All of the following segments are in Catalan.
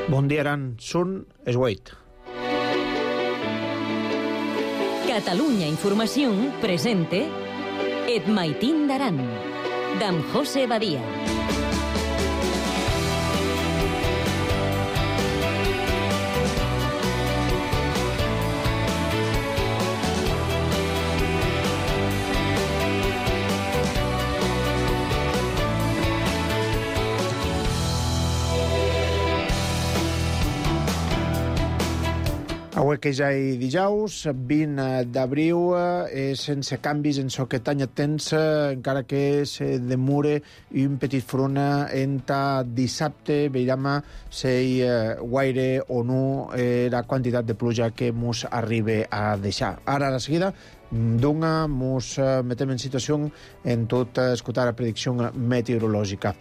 Bon dia, Aran. Són es 8. Catalunya Informació presente Et Maitín d'Aran, d'en José Badia. Avui que ja hi dijous, 20 d'abril, sense canvis en so que tanya temps, encara que se demure un petit front enta dissabte, veiem si guaire o no la quantitat de pluja que mos arriba a deixar. Ara, a la seguida, mos metem en situació en tot escoltar la predicció meteorològica.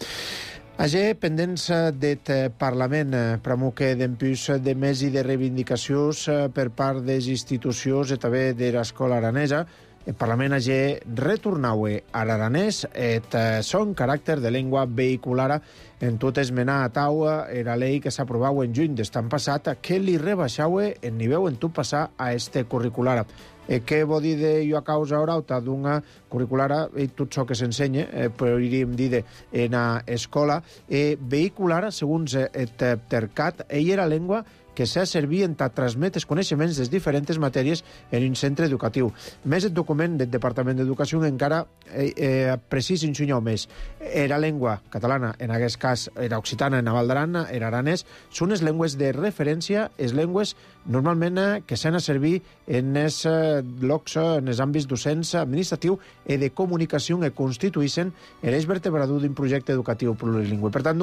Ager, pendents d'eth Parlament, pramo que dempús de mes i de reivindicacions per part des institucions i també de l'escola aranesa, el Parlament ager retornaue a l'aranès et son caràcter de llengua vehiculara en tot esmenar a taua era llei que s'aprovau en juny d'estan passat que li rebaixaue el nivell en tot passar a este curricular. Què vol dir de jo a causa orauta d'una curriculara i tot això que s'ensenya, podríem dir en escola, vehiculara, segons el tercat, ell era llengua que s'ha servit en transmetre els coneixements de diferents matèries en un centre educatiu. Més el document del Departament d'Educació encara precís ensenyau més. Era llengua catalana, en aquest cas era occitana, en Val d'Aran, era aranès, són les llengües de referència, les llengües normalment que s'han a servir en els llocs, en els àmbits docents, administratiu i de comunicació que constituïssin l'eix vertebrador d'un projecte educatiu plurilingüe. Per tant,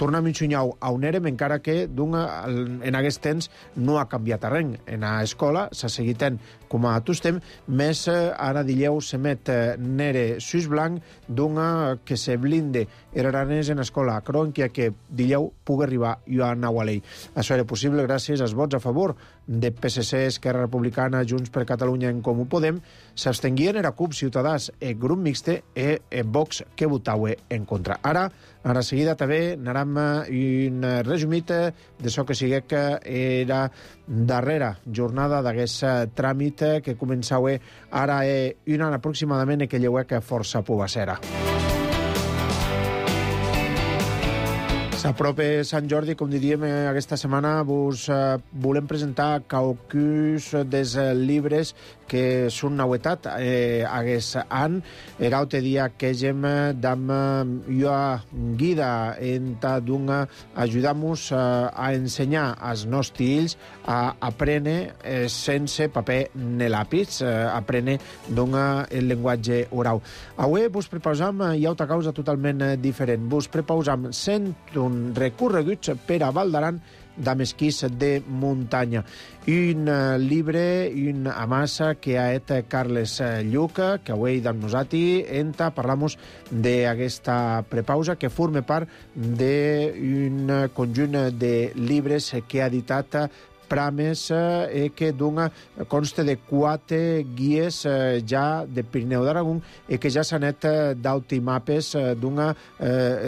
tornem a ensenyar a on érem, encara que en aquest temps no ha canviat res. En l'escola s'ha seguit com a tots temps, més ara dileu se met nere sus blanc d'una que se blinde era aranès en escola crònquia que dileu pugui arribar i a nau a l'ell. Això era possible gràcies als vots a favor de PSC, Esquerra Republicana, Junts per Catalunya en Comú Podem, s'abstenguien era CUP, Ciutadans, el grup mixte i Vox que votaue en contra. Ara, a la seguida també anarem un resumit d'això que sigui que era darrera jornada d'aquest tràmit que començava ara un any aproximadament i que lleuec força pubassera. S'apropa Sant Jordi, com diríem, aquesta setmana vos volem presentar qualcus dels llibres que són novetat aquest any. Era altre dia que hem dam jo guida enta d'un ajudar-nos a ensenyar als nostres fills a aprendre sense paper ni lápiz, aprendre el llenguatge oral. Avui vos prepausam i altra causa totalment diferent. Vos prepausam 101 recorreguts per a Val d'Aran d'esquís de muntanya. Un llibre, una amassa que ha et Carles Lluc, que avui amb nosaltres parlamos d'aquesta prepausa que forma part d'un conjunt de llibres que ha editat Prames que consta de 4 guies ja de Pirineu d'Aragó i que ja s'han net d'autres mapes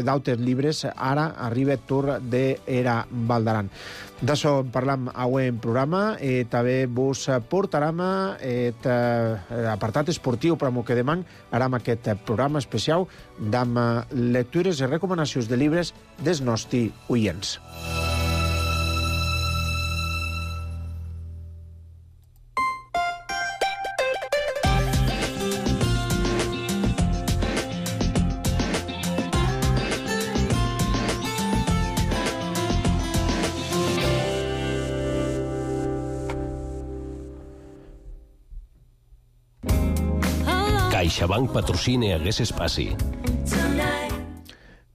d'altres llibres. Ara arriba el torn d'era Val d'Aran. D'això en parlam avui en programa i també vos portarem l'apartat esportiu per que demà aram aquest programa especial amb lectures i recomanacions de llibres dels nostres oients. CaixaBank patrocina aquest espai.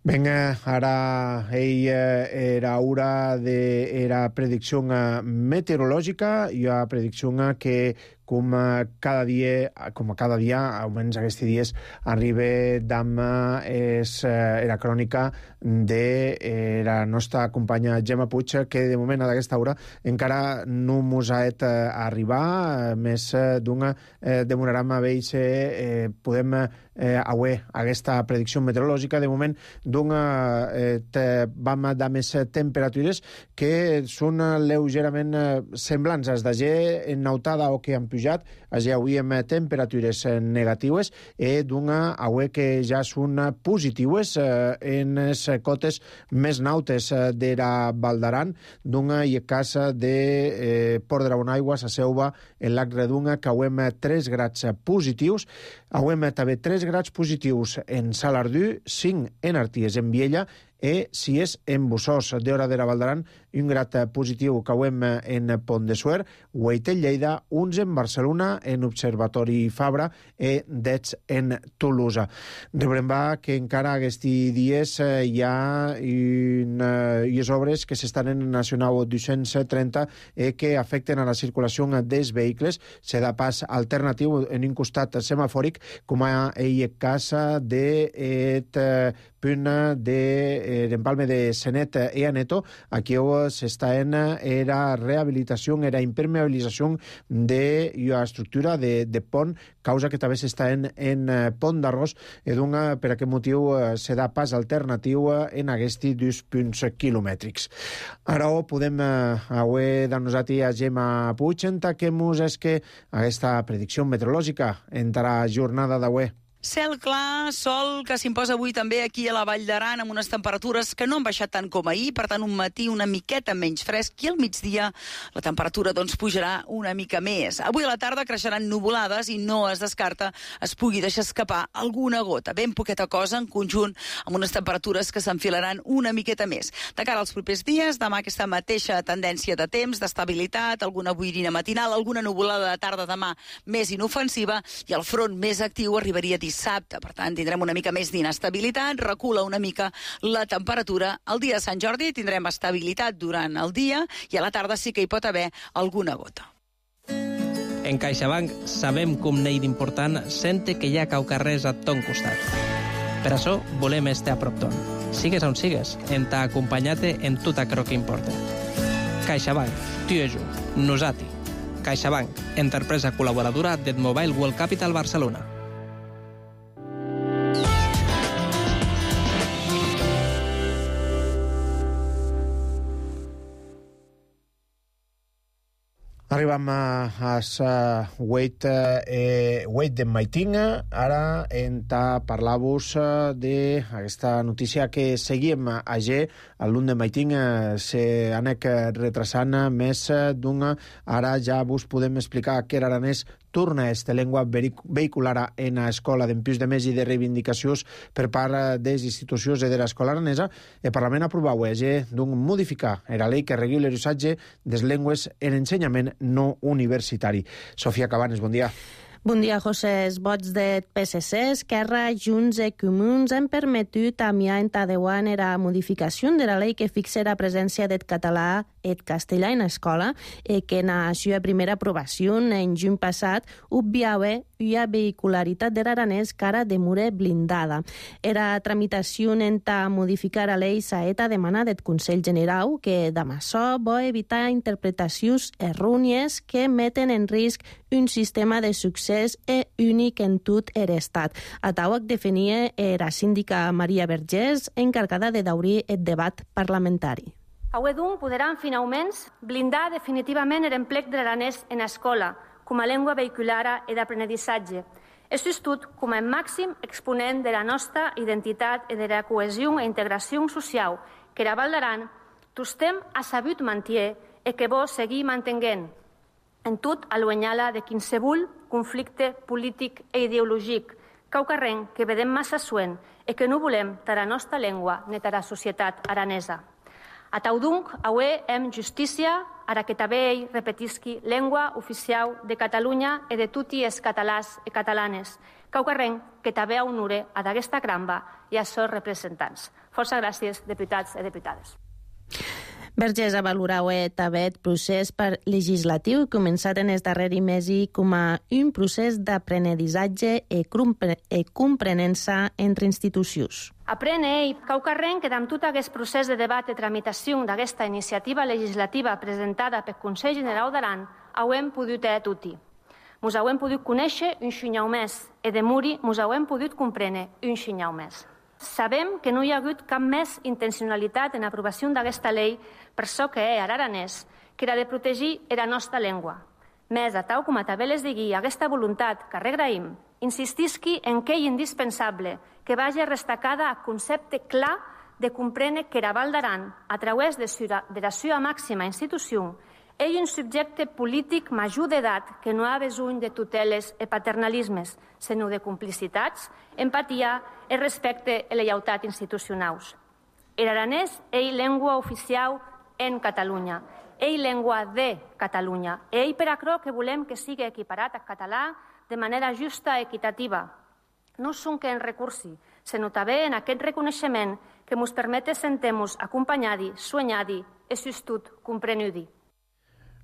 Vinga, ara era hora de la predicció meteorològica i la predicció que com cada dia, almenys aquests dies, arriba d'am la crònica de la nostra companya Gemma Puig, que de moment a aquesta hora encara no mos ha arribar, més d'una demorarem a veure si podem avui aquesta predicció meteorològica. De moment vam de més temperatures que són lleugerament semblants als d'ahir en nautada o que han pujat. Ahir avui amb temperatures negatives i avui que ja són positives en les cotes més nautes de la Val d'Aran, i a casa de Port de la Bonaigua, a Selva, en Lac Redunga, que avui 3 grads positius. Avui també 3 grads positius en Salardú, 5 en Arties, en Viella, i si és en Bussós, d'Hora de la Val d'Aran, un grad positiu que avui en Pont de Suert, 8 en Lleida, 11 en Barcelona, en Observatori Fabra i 10 en Tolosa. Rebrem que encara aquests dies hi ha unes obres que s'estan en Nacional 230 que afecten a la circulació dels vehicles. Se da pas alternatiu en un costat semafòric, com a casa de punt d'empalme de Senet i Aneto. Aquí s'està en la rehabilitació, en la impermeabilització de la estructura de pont, causa que també s'està en Pont d'Arròs, i per aquest motiu se da pas alternatiu en aquests 2 punts quilomètrics. Ara podem avui dar-nos a Gemma Puig, que mos és que aquesta predicció meteorològica entrarà a jornada d'avui. Cel clar, sol, que s'imposa avui també aquí a la Vall d'Aran, amb unes temperatures que no han baixat tant com ahir, per tant un matí una miqueta menys fresc, i al migdia la temperatura pujarà una mica més. Avui a la tarda creixeran nuvolades i no es descarta es pugui deixar escapar alguna gota, ben poqueta cosa en conjunt, amb unes temperatures que s'enfilaran una miqueta més. De cara als propers dies, demà aquesta mateixa tendència de temps, d'estabilitat, alguna boirina matinal, alguna nuvolada de tarda demà més inofensiva, i el front més actiu arribaria dissabte. Per tant, tindrem una mica més d'inestabilitat, recula una mica la temperatura. El dia de Sant Jordi tindrem estabilitat durant el dia i a la tarda sí que hi pot haver alguna gota. En CaixaBank sabem com n'hi d'important sente que hi ha caucarrers a ton costat. Per això volem estar a prop ton. Sigues on sigues, en t'acompanyate en tot aquello que importa. CaixaBank, tu i jo, nosati. CaixaBank, empresa col·laboradora del Mobile World Capital Barcelona. Arribem a les 8 del matí. Ara parlar-vos d'aquesta notícia que seguim ahir. A l'1 del matí s'anec retrasant més d'una. Ara ja vos podem explicar que l'Aranès torna a esta llengua vehicular en l'escola d'empius de més i de reivindicacions per part de les institucions de l'escola aranesa. El Parlament aprovau modificar la llei que regula l'usatge de les llengües en ensenyament no universitari. Sofia Cabanes, bon dia. Bon dia, José. Els vots de PSC, Esquerra, Junts i Comuns han permetut enviar en Tadeuan la modificació de la llei que fixa la presència del català i el castellà en l'escola i que en la seva primera aprovació en juny passat obviava la vehicularitat de l'aranès que ara demora blindada. La tramitació en modificar la llei s'ha demanat del Consell General que demà vol evitar interpretacions errònies que meten en risc un sistema de succés únic en tot l'estat. A tauc definia la síndica Maria Vergés, encarregada de d'obrir el debat parlamentari. Avui, doncs, podran finalment blindar definitivament l'emplec de l'aranès en l'escola com a llengua vehicular i d'aprenentatge. És tot com a màxim exponent de la nostra identitat i de la cohesió i integració social que la Val d'Aran tostem ha sabut mantenir i que vol seguir mantenint en tot allunyada de qualsevol conflicte polític i ideològic, caucarrenc que vedem massa suent i que no volem de la nostra llengua ni de la societat aranesa. A tau donc, avui hem justícia ara que també ell repetisqui llengua oficial de Catalunya i de tots els catalans i catalanes, caucarrenc que també honore a d'aquesta cramba i a seus representants. Força gràcies, diputats i diputades. Vergés avalorau també el procés legislatiu començat en el darrer mes com a un procés d'aprenedissatge i comprenença entre institucions. Aprene caucarren que amb tot aquest procés de debat i tramitació d'aquesta iniciativa legislativa presentada pel Consell Generau d'Aran hauem pogut tutti. Mos hauem pogut conèixer un xinyau més i de muri mos hauem pogut comprendre un xinyau més. Sabem que no hi ha hagut cap més intencionalitat en l'aprovació d'aquesta llei per això que és aranès, que era de protegir la nostra llengua. Més a tal com a també les digui aquesta voluntat que regraïm, insistisqui en que és indispensable que vagi restacada el concepte clar de comprendre que la Val d'Aran, a través de la seva màxima institució, és un subjecte polític major d'edat que no ha besoin de tuteles i paternalismes, sinó de complicitats, empatia i respecte i lleialtat institucionals. L'aranès és llengua oficial en Catalunya, és llengua de Catalunya, i per això que volem que sigui equiparat al català de manera justa i equitativa. No són que en recursi, sinó també en aquest reconeixement que ens permet sentir-nos acompanyats, soñats i, sostut, comprenents.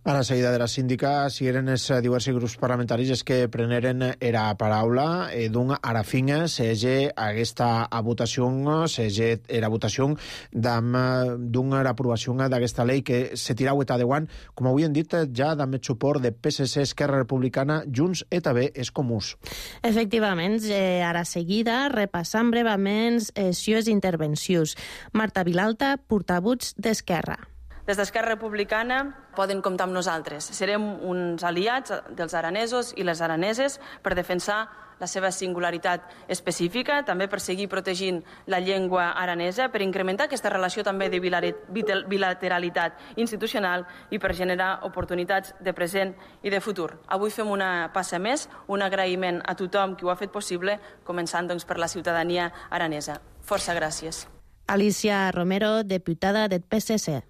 A la seguida de la síndica, si eren els diversos grups parlamentaris que preneren la paraula, d'un ara finga s'ege aquesta votació, s'ege la votació d'una aprovació d'aquesta llei que se tirau eta deuant, com avui hem dit, ja amb el suport de PSC, Esquerra Republicana, Junts i també els Comuns. Efectivament, a la seguida repassam brevament les seves intervencions. Marta Vilalta, portaveu d'Esquerra. Des d'Esquerra Republicana poden comptar amb nosaltres. Serem uns aliats dels aranesos i les araneses per defensar la seva singularitat específica, també per seguir protegint la llengua aranesa, per incrementar aquesta relació també de bilateralitat institucional i per generar oportunitats de present i de futur. Avui fem una passa més, un agraïment a tothom qui ho ha fet possible, començant doncs, per la ciutadania aranesa. Força gràcies. Alicia Romero, diputada del PSC.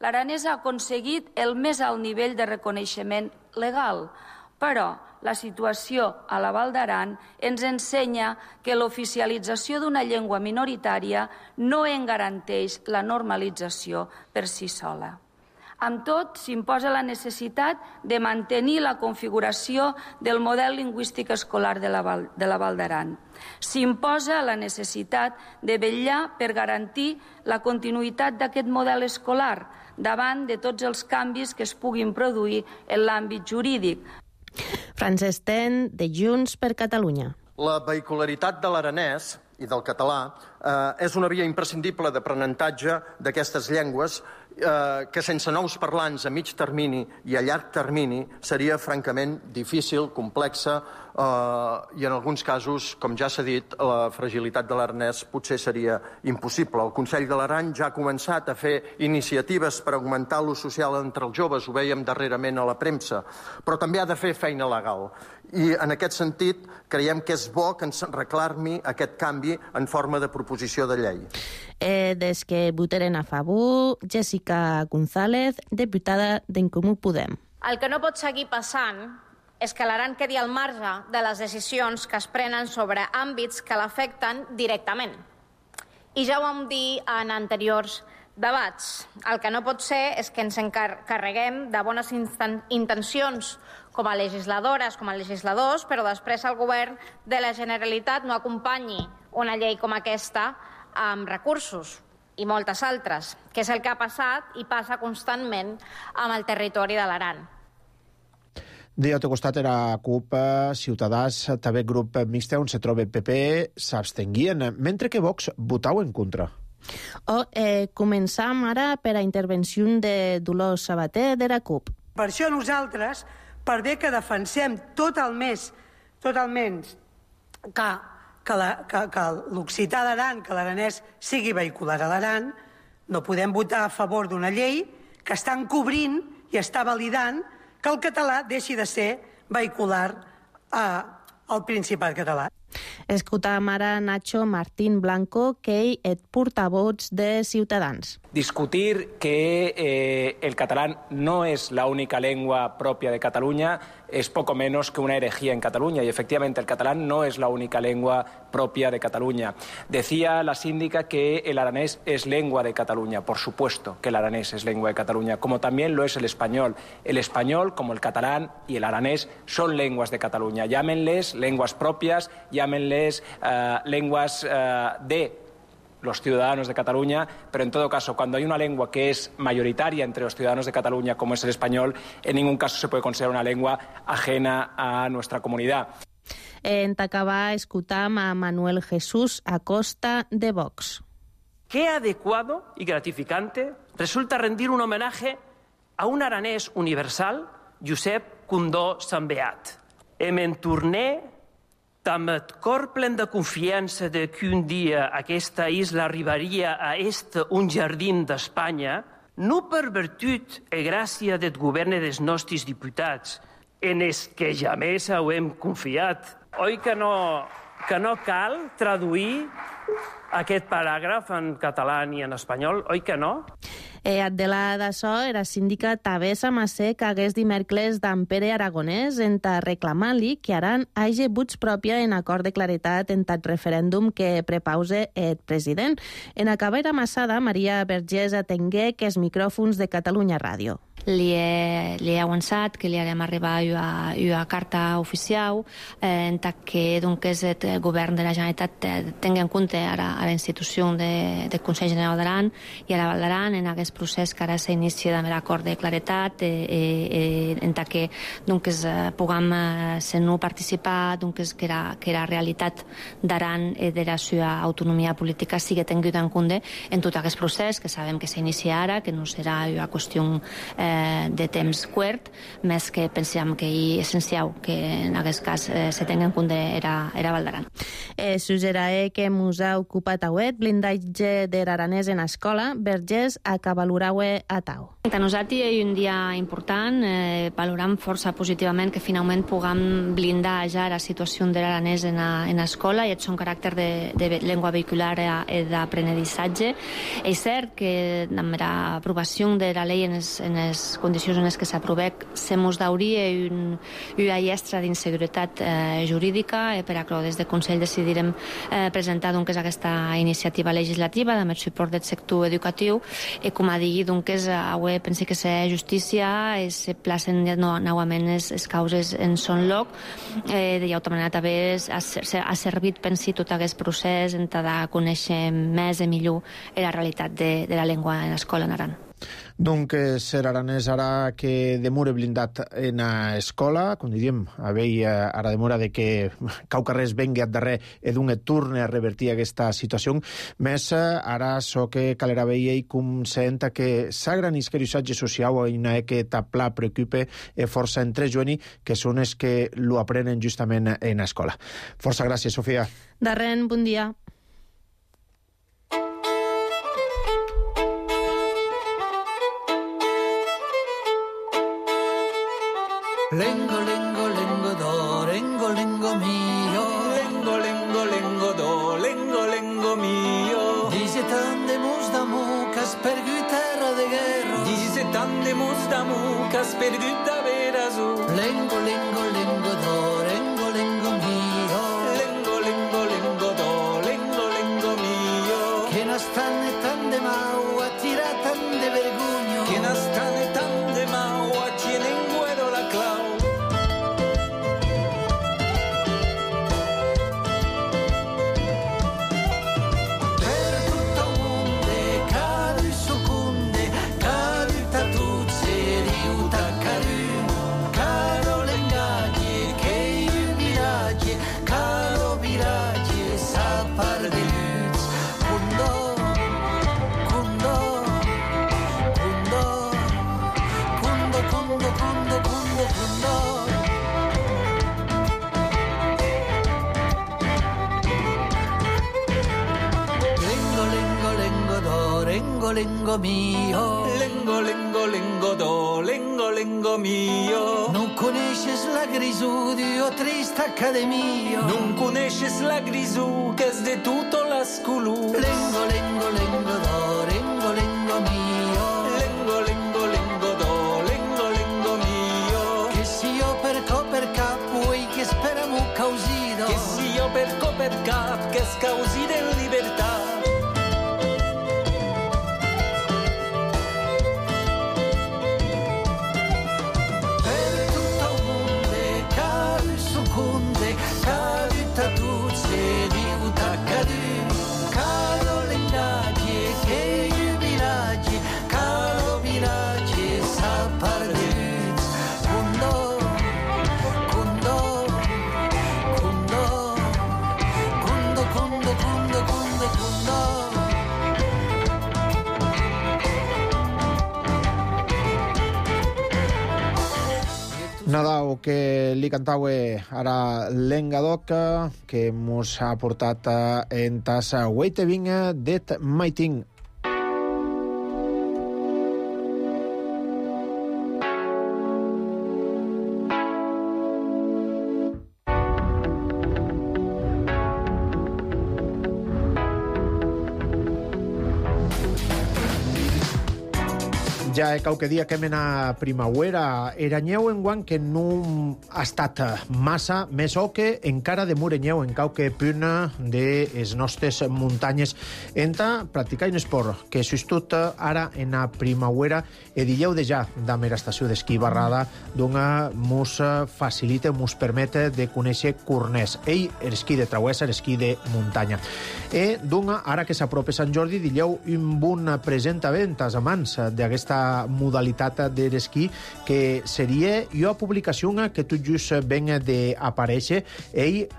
L'aranès ha aconseguit el més alt nivell de reconeixement legal, però la situació a la Val d'Aran ens ensenya que l'oficialització d'una llengua minoritària no en garanteix la normalització per si sola. Amb tot, s'imposa la necessitat de mantenir la configuració del model lingüístic escolar de la Val d'Aran. S'imposa la necessitat de vetllar per garantir la continuïtat d'aquest model escolar davant de tots els canvis que es puguin produir en l'àmbit jurídic. Francesc Ten, de Junts per Catalunya. La vehicularitat de l'aranès i del català és una via imprescindible d'aprenentatge d'aquestes llengües que sense nous parlants a mig termini i a llarg termini seria francament difícil, complexa i en alguns casos, com ja s'ha dit, la fragilitat de l'aranès potser seria impossible. El Consell de l'Aran ja ha començat a fer iniciatives per augmentar l'ús social entre els joves, ho vèiem darrerament a la premsa, però també ha de fer feina legal. I en aquest sentit creiem que és bo que ens reclami aquest canvi en forma de proposició de llei. Des que votaren a favor, Jessica González, diputada d'en Comú Podem. El que no pot seguir passant és que l'Aran quedi al marge de les decisions que es prenen sobre àmbits que l'afecten directament. I ja ho vam dir en anteriors debats. El que no pot ser és que ens encarreguem de bones intencions com a legisladores, com a legisladors, però després el govern de la Generalitat no acompanyi una llei com aquesta amb recursos i moltes altres, que és el que ha passat i passa constantment amb el territori de l'Aran. De l'altre costat era CUP, Ciutadans, també grup mixte on se troba PP, s'abstenguien, mentre que Vox votau en contra. Començam ara per a intervenció de Dolors Sabater de la CUP. Per això nosaltres, per bé que defensem totalment que l'occità d'Aran, que l'aranès sigui vehicular a l'Aran, no podem votar a favor d'una llei que està encobrint i està validant que el català deixi de ser vehicular al Principat català. Escoltam ara Nacho Martín Blanco, que és portavoz de Ciutadans. Discutir que el catalán no es la única lengua propia de Cataluña es poco menos que una herejía en Cataluña. Y efectivamente el catalán no es la única lengua propia de Cataluña. Decía la síndica que el aranés es lengua de Cataluña. Por supuesto que el aranés es lengua de Cataluña, como también lo es el español. El español, como el catalán y el aranés, son lenguas de Cataluña. Llámenles lenguas propias, llámenles lenguas de los ciudadanos de Cataluña, pero en todo caso, cuando hay una lengua que es mayoritaria entre los ciudadanos de Cataluña, como es el español, en ningún caso se puede considerar una lengua ajena a nuestra comunidad. En acabar, escucham a Manuel Jesús Acosta de Vox. Qué adecuado y gratificante resulta rendir un homenaje a un aranès universal, Josep Condó Sambeat. Em torné amb el cor plen de confiança de que un dia aquesta isla arribaria a ésser un jardí d'Espanya, no per virtut i gràcia del govern dels nostres diputats, en els que jamais hem confiat. Oi que no cal traduir aquest paràgraf en català i en espanyol? Oi que no? Adela d'açò era síndica Tavessa Massé que hagués dimecres d'en Pere Aragonès en ta reclamar-li que Aran hagi vots pròpia en acord de claretat en tat referèndum que prepause el president. En acabar amassada, Maria Vergés atengué que els micròfons de Catalunya Ràdio. Li he avançat que li haguem arribat una carta oficial en que el govern de la Generalitat tingui en compte ara la institució del Consell General d'Aran i a la Val d'Aran en aquest procés que ara s'inicia amb l'acord de claretat en que puguem ser-no participar que la realitat d'Aran i de la seva autonomia política sigui tinguda en compte en tot aquest procés que sabem que s'inicia ara, que no serà una qüestió de temps curt, més que pensem que és essencial que en aquest cas se tingui en compte era Val d'Aran. Suggerae que mos ha ocupat auet blindatge de l'aranès en escola, Vergés acabaluraue a tau. Per nosaltres és un dia important, valorem força positivament que finalment puguem blindar ja la situació de l'aranès en escola i el seu caràcter de llengua vehicular i d'aprenedissatge. És cert que amb l'aprovació de la llei en les condicions en les que s'aprovec se mos dauria una llestra d'inseguretat jurídica per a que des del Consell decidirem presentar aquesta iniciativa legislativa amb el suport del sector educatiu i com a dir, avui penso que la justícia se placen novament les causes en son lloc. D'altra manera també ha servit, pensi, tot aquest procés en de conèixer més i millor la realitat de la llengua en l'escola en Aran. Donc, ser aranès ara que demora blindat en escola, com diríem, ara demora de que Caucarrés vengui a darrer i d'un torne a revertir aquesta situació, més ara so que calera veia i com senta que sa gran isquerissatge social i una que tapla preocupe força entre joani, que són els que lo aprenen justament en escola. Força gràcies, Sofia. Darren, bon dia. Lengo, lengo, lengo do, lengo, lengo mio. Lengo, lengo, lengo do, lengo, lengo mio. Dice tant de mus d'amor que has perdut terra de guerra. Dice tant de mus d'amor que has perdut de verazó. Lengo, lengo, lengo do, lengo, lengo mio. Lengo, lengo, lengo do, lengo, lengo mio. Que no stanne tant de mau a tirar tant de vergogno. Que no stanne tant de mau a tiene in guero la clau. Lengo mio, lengo, lengo, lengo do, lengo, lengo mio. Non coneixes la grisù di o trista accademia. Non coneixes la grisù che es de tutto l'ascolù. Lengo, lengo, lengo do, lengo, lengo mio. Lengo, lengo, lengo do, lengo, lengo mio. Che si io per cap, vuoi che speriamo causino. Che si io per cap, causi de libertà. Per tutto il mondo cade succunde, cade tatuzze di utacadi, cado l'indaggi che jubilaggi, cado vilaggi s'apparduts, cundo, cundo, cundo, cundo, cundo, cundo, cundo, cundo. Nadau que li cantaue ara Lengadoc, que mos ha portat en tassa Waiteving det Maiting. Ja qualque dia que mena primavera, eranyeu enguan que no ha estat massa, més o que encara demorenyeu en qualque punt de les nostres muntanyes enta practicar un esport que s'estut ara en la primavera e dilleu de ja damb era estació d'esquí barrada donga mos facilita, mos permet de conèixer Cornès. Ell, l'esquí de travessa, l'esquí de muntanya. E donga, ara que s'apropa Sant Jordi, dilleu un bon presentament als amants d'aquesta modalitat de l'esquí, que seria una publicació que tot just ven d'aparèixer,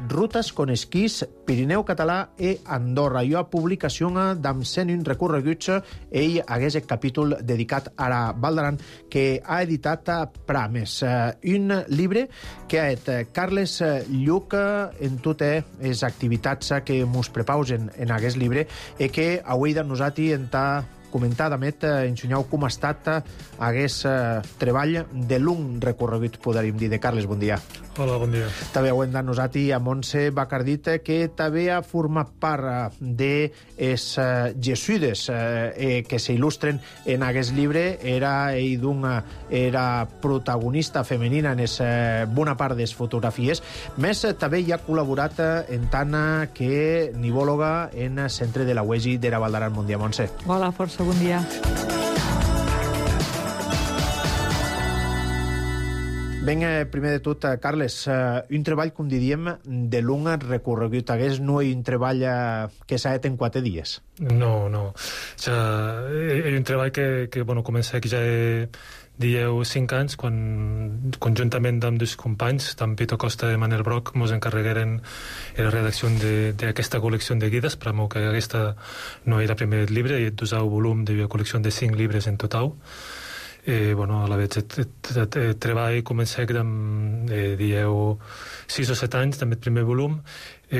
Rutes con esquís, Pirineu Català i Andorra. Una publicació d'amb 101 recorreguts, ell hagués el capítol dedicat a la Val d'Aran, que ha editat Prames, un llibre que ha et Carles Lluc en totes les activitats que mos prepausen en aquest llibre i que avui de nosaltres entà comentar, Damet, ensenyau com ha estat aquest treball de long recorregut, podríem dir, de Carles. Bon dia. Hola, bon dia. També ho hem de nosaltres a Montse Bacardit, que també ha format part de les jesuïdes que s'il·lustren en aquest llibre. Era protagonista femenina en bona part de les fotografies. Més, també hi ha col·laborat en tant que nivòloga en el centre de la UEGI de la Val d'Aran. Bon dia, Montse. Hola, força bon dia. Ben, primer de tot, Carles, un treball, com diríem, de long recorregut. Hagués no un treball que s'ha fet en 4 dies? No. És un treball que comença que ja dieu 5 anys, quan conjuntament amb dos companys, tant Pito Costa i Manel Broc, ens encarregueren la redacció d'aquesta col·lecció de guides, per que aquesta no era el primer llibre, i el 2è volum d'una col·lecció de 5 llibres en total. A la vegada el treball comença dieu 6 o 7 anys, també el primer volum.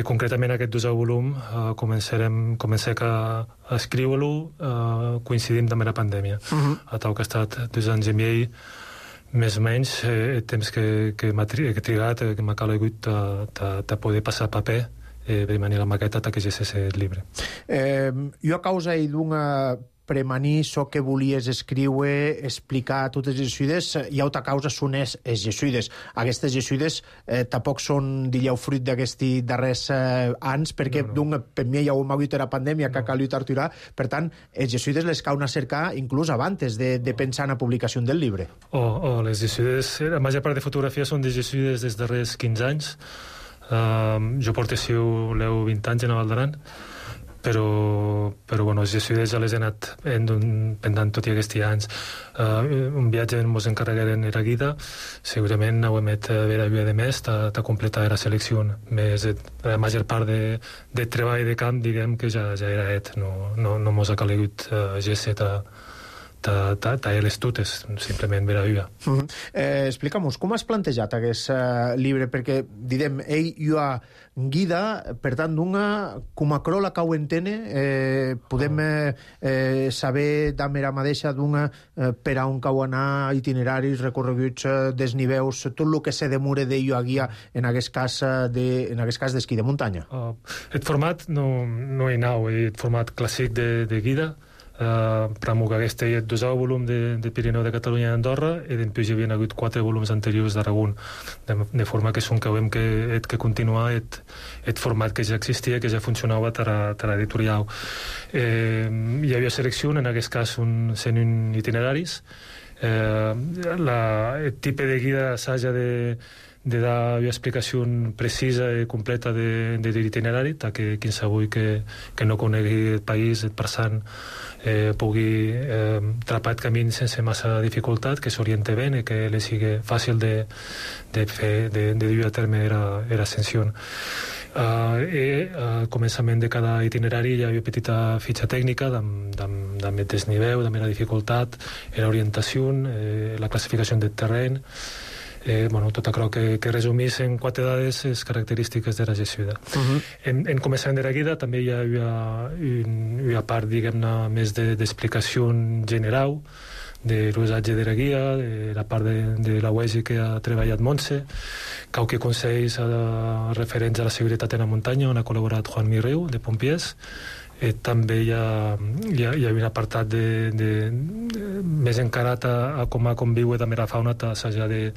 Concretament aquest 2è volum comencem a escriure-lo coincidint amb la pandèmia. A tal que ha estat 2 anys i mig, més o menys, el temps que m'ha trigat, que m'ha calegut de poder passar paper per manir la maqueta que ja és el llibre. Jo a causa d'una premanir això que volies escriure, explicar totes les jesuïdes, i altra causa són els jesuïdes. Aquestes jesuïdes tampoc són, diríeu, fruit d'aquests darrers anys, perquè per mi ja ho hem hagut la pandèmia que ha calit aturar. Per tant, els jesuïdes les cauen a cercar inclús abans de pensar en la publicació del llibre. Les jesuïdes, la major part de fotografies són de jesuïdes dels darrers 15 anys. Jo porto 20 anys en la Val d'Aran, però els jesuïdes ja les he anat pendant tot i aquests anys. Un viatge ens encarregueren era guida, segurament ho hem fet vera de més de completar la selecció, més la major part de treball de camp, diguem que ja era fet, no mos ha calegut gesset a les tutes, simplement vera viva. Explica'm-nos, com has plantejat aquest llibre? Perquè, direm, ell hi ha guida, per tant, com a crola que ho entene, podem saber d'amera mateixa per a on cau anar, itineraris, recorreguts, desniveus, tot el que se demore d'ell a guia en aquest cas d'esquí de muntanya. El format no hi nau, el format clàssic de guida, pramo que aquesta hi ha 2 volums de Pirineu de Catalunya i Andorra, i després hi havia hagut 4 volums anteriors d'Aragón, de forma que són que veiem que continuar el format que ja existia, que ja funcionava per editorial. Hi havia selecció, en aquest cas són itineraris. El tipus de guia s'haja de dar una explicació precisa i completa de l'itinerari, que qualsevol que no conegui el país, el passant, pugui trapar el camí sense massa dificultat, que s'oriente bé i que li sigui fàcil de dur a terme l'ascensió. Al començament de cada itinerari hi havia una petita fitxa tècnica amb el desnivell, amb la dificultat, l'orientació, la classificació del terreny, tot això que resumís en 4 dades les característiques de la gestió. En començament de la guida també hi havia una part, diguem-ne, més d'explicació general de l'usatge de la guia, de la part de la UESI que ha treballat Montse, qualque consells referents a la seguretat en la muntanya, on ha col·laborat Juan Mirriu, de Pompiers. També hi ha un apartat més encarat a com a conviure també la fauna, s'haja de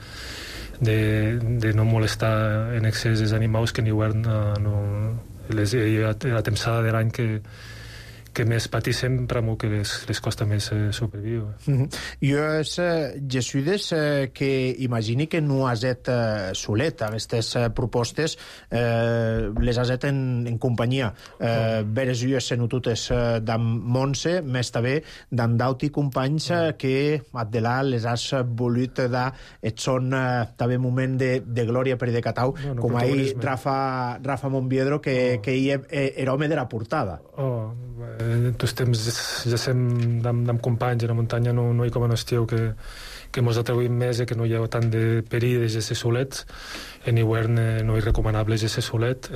no molestar en excés els animals que en hivern la temporada de l'any que més patissem, però que les costa més sobreviure. Jo és jesuïdes que imagini que no has et solet. Aquestes propostes les has et en companyia. Veres jo senututes d'am Montse, més també d'am d'auti companys que Addelà les has volut dar et són també moment de glòria per decatau, com ahir Rafa Monbiedro, que era home de la portada. En tots temps ja sem amb companys a la muntanya, no hi com en estiu que mos atrevim més i que no hi ha tant de perill de gesser solets. En hivern no és recomanable gesser solet.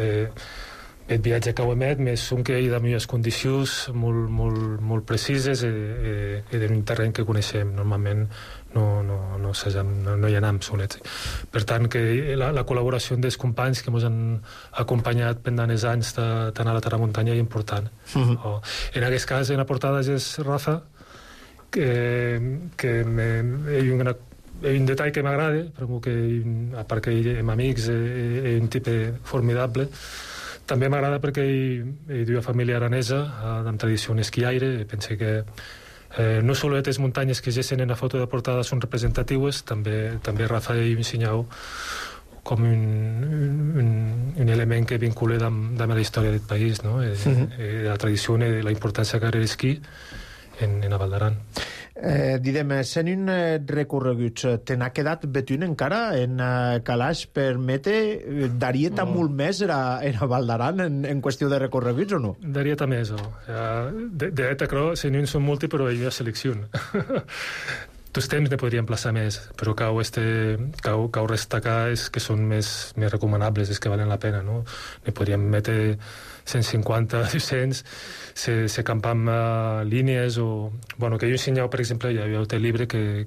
El viatge que ho emet més són que hi ha millors condicions molt precises i en un terreny que coneixem. Normalment no hi anem solets. Per tant, que la col·laboració dels companys que ens han acompanyat pendant els anys tant a la terra muntanya és important. En aquest cas, en la portada és Rafa, que hi ha un detall que m'agrada, a part que som amics, és un tipus formidable. També m'agrada perquè hi ha una família aranesa amb tradició esquiaire, i pense que no sols les muntanyes que gessen en la foto de portada són representatives, també Rafa hi ensenyau com un element que vincula amb la història del país, la tradició i la importància que ha l'esquí en la Val d'Aran. Didem, sent un recorreguts, te n'ha quedat betún encara en calaix permete? Daria molt més era Val d'Aran en qüestió de recorreguts o no? Daria més, de fet, sent un són multi, però hi ha selecció. Tots temps ne podríem plaçar més, però cau destacar és que són més recomanables, és que valen la pena, no? Ne podríem metre 150, 200, se campam línies o... Bueno, que jo ensenyau, per exemple, hi havia un llibre que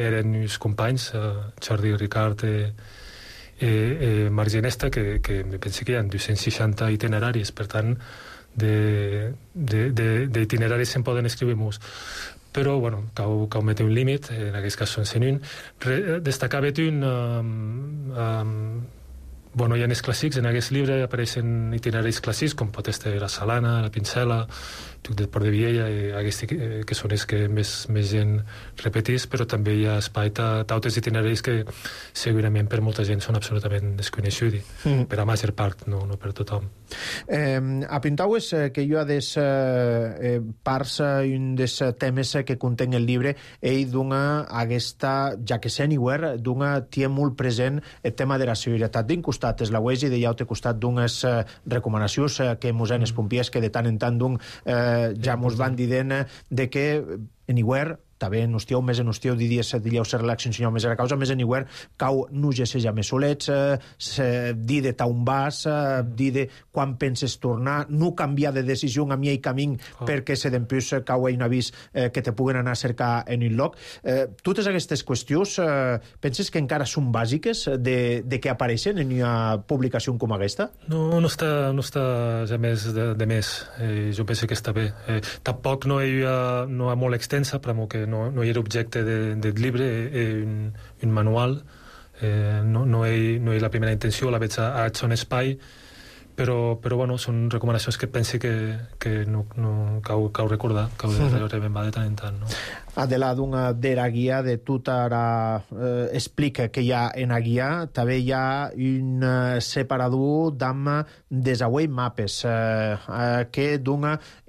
eren uns companys, Jordi Ricard i Marc Ginesta, que me penso que hi ha 260 itineraris, per tant, d'itineraris se'n poden escriure molts. Però, bueno, cau mete un límit, en aquest cas són 101. Destacar un... Bueno, hi ha els clàssics, en aquest llibre apareixen itineraris clàssics, com pot ser la Salana, la Pincela, Tuc del Port de Viella, que són els que més gent repetís, però també hi ha espai d'altres itineraris que segurament per molta gent són absolutament desconeguts, per a major part, no per tothom. Apuntaues que hi ha des parts i un dels temes que conten el llibre, ell dona aquesta, ja que s'anywhere, dona tie molt present el tema de la seguretat. D'un costat és la UESI, de l'altre costat d'unes recomanacions que mos han els pompiers que de tant en tant ja mos van dient de que anywhere també en hostieu, més en hostieu, dileu ser relació ensenyau més a la causa, més en igual, cau no ja seja més solets, dir de taun vas, dir de quan penses tornar, no canviar de decisió a mi i camí perquè se d'empús cau un avís que te puguen anar a cercar en un lloc. Totes aquestes qüestions penses que encara són bàsiques de que apareixen en una publicació com aquesta? No està ja més de més. Jo penso que està bé. Tampoc no hi ha molt extensa, però que no hi era objecte del llibre, un manual. No hi ha la primera intenció, la veig a son espai, però bueno, són recomanacions que penso que no cau recordar, cau de remembrar de tant en tant, no? Adela, de la guia de tot ara explica que hi ha en la guia, també hi ha un separador d'amma desauei mapes que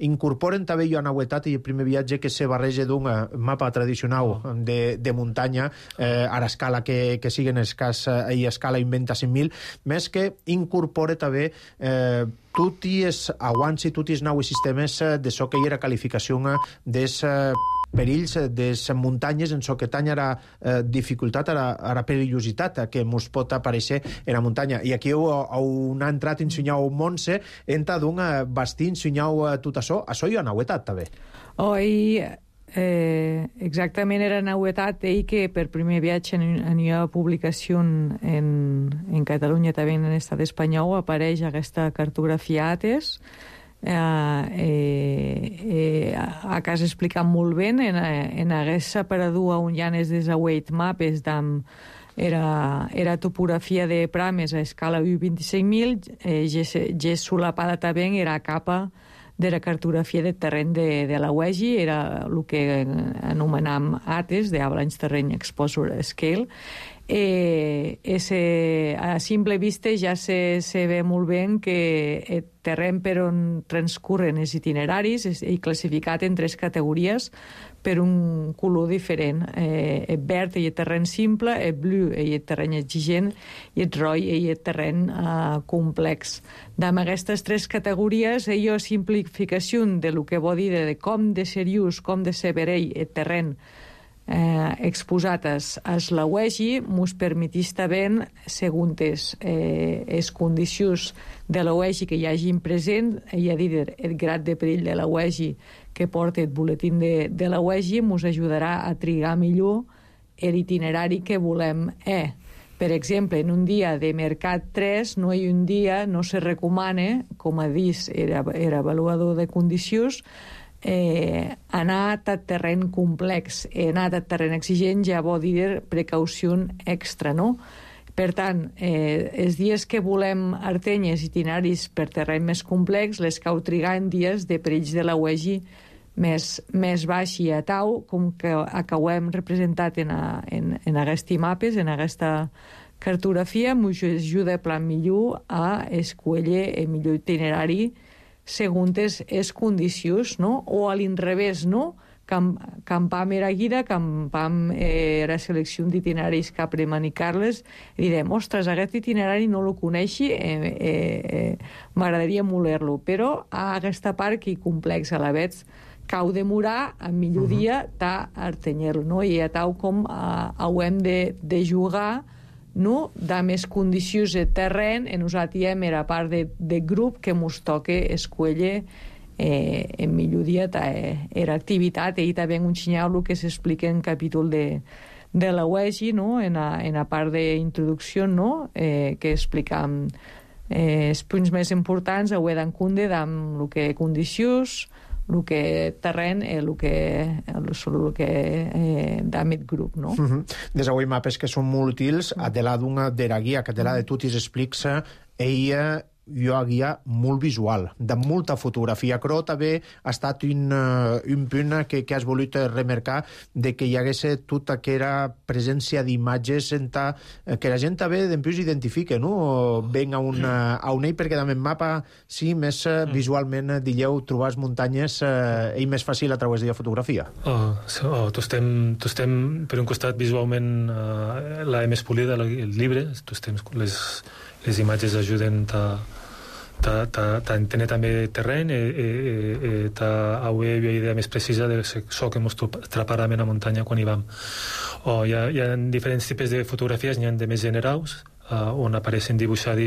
incorporen també jo a novetat i el primer viatge que se barreja d'un mapa tradicional de muntanya a l'escala que siguen i escala inventa 5.000, més que incorpora també tots els aguants i tots els nous sistemes de so que hi era qualificació des perills des muntanyes en so que tanya la dificultat, a la perillositat que ens pot aparèixer en la muntanya. I aquí on ha entrat ensenyau Montse, entra d'un bastir ensenyau tot això hi ha novetat també. Exactament era novetat que per primer viatge en una publicació en Catalunya també en l'estat espanyol apareix aquesta cartografia ATES. A casa explicat molt bé en hagués separador on hi ha els desaueit mapes era topografia de prames a escala 25.000 ja solapada també era capa de la cartografia de terreny de la UEGI, era el que anomenam ATES, de Avalanche Terrain Exposure Scale. A simple vista ja se ve molt bé que el terreny per on transcorren els itineraris és classificat en 3 categories per un color diferent. El verd és el terreny simple, el blu és el terreny exigent i el roig és el terreny complex. Amb aquestes 3 categories hi ha simplificació de lo que vol dir de com de seriós, com de severell el terreny exposat a la UEGI mos permetís també, segons les condicions de la UEGI que hi hagin present, i a dir, el grad de perill de la UEGI que porta el boletín de la UEGI, mos ajudarà a trigar millor l'itinerari que volem. Per exemple, en un dia de Mercat 3 no hi un dia, no se recomana, com a dit era avaluador de condicions, anar a terreny complex, anar a terreny exigent ja vol dir precaució extra, no? Per tant, els dies que volem artenyes itineraris per terreny més complex, les cau trigar en dies de perills de la UEGI més baix i a tau, com que acabem representat en aquests mapes, en aquesta cartografia, ens ajuda a plan millor a escollir el millor itinerari segons les condicions, no? O a l'inrevés, no? Campam era guida, campam era selecció d'itineraris que premanicar-les, i direm, ostres, aquest itinerari no lo coneixi, m'agradaria moler-lo, però a aquesta part que complex a la vegada cau demorar, a millor dia artenyer-lo, no? I a tal com hem de jugar no? De més condicions de terreny, nosaltres era part de grup que ens toca escollir en millor dia era activitat, i també un senyal que s'explica en capítol de la UEGI, no? En la part d'introducció, no? Que explicam els punts més importants, ho he d'enconde amb el que condicions, el que terreny, el que d'àmbit grup, no? Des avui mapes que són molt útils, Adela de la guia, que Adela de Tutis explica, ella jo a guia molt visual, de molta fotografia. Però també ha estat un punt que has volut remarcar de que hi hagués tota aquella presència d'imatges que la gent també d'empús identifica, no? Ven a un ell, perquè també en mapa, sí, més visualment, dilleu, trobar muntanyes i més fàcil a través de la fotografia. Tu estem, per un costat, visualment la més polida, el llibre, les imatges ajuden Tener també terreny una idea més precisa de això que ens atraparem a la muntanya quan hi vam. Hi ha diferents tipus de fotografies, n'hi ha de més generals, on apareixen dibuixats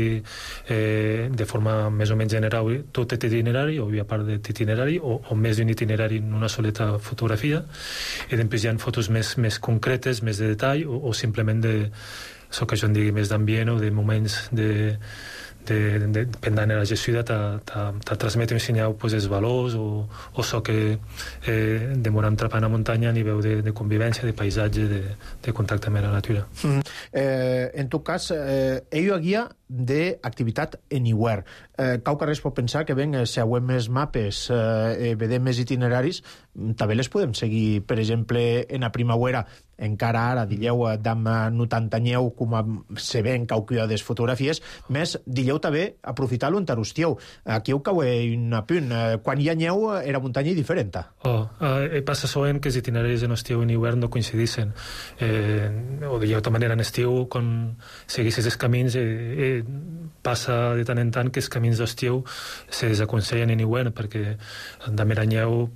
de forma més o menys general tot l'itinerari, o a part de l'itinerari, o més d'un itinerari en una soleta fotografia, i després hi ha fotos més concretes, més de detall, o simplement de això que jo en digui més d'ambient o de moments pendant la gestió te transmet un senyal els valors o això que demoram trapant a muntanya a nivell de convivència, de paisatge, de contacte amb la natura. En tot cas, ell guia d'activitat anywhere. Qualque res pot pensar que si hauem més mapes, vedem més itineraris, també les podem seguir, per exemple, en la primavera, encara ara, digueu, d'am notantanyeu, com se ven qualque de les fotografies, més, digueu també, aprofitar-lo en tarustieu. Aquí ho cau un apunt. Quan hi ha neu, era muntanya diferent. Passa sovint que els itineraris en estiu i en hivern no coincidissin. O digueu de manera en estiu, quan seguissis els camins, passa de tant en tant que els camins d'estiu se desaconsellen en hivern, perquè de meranyeu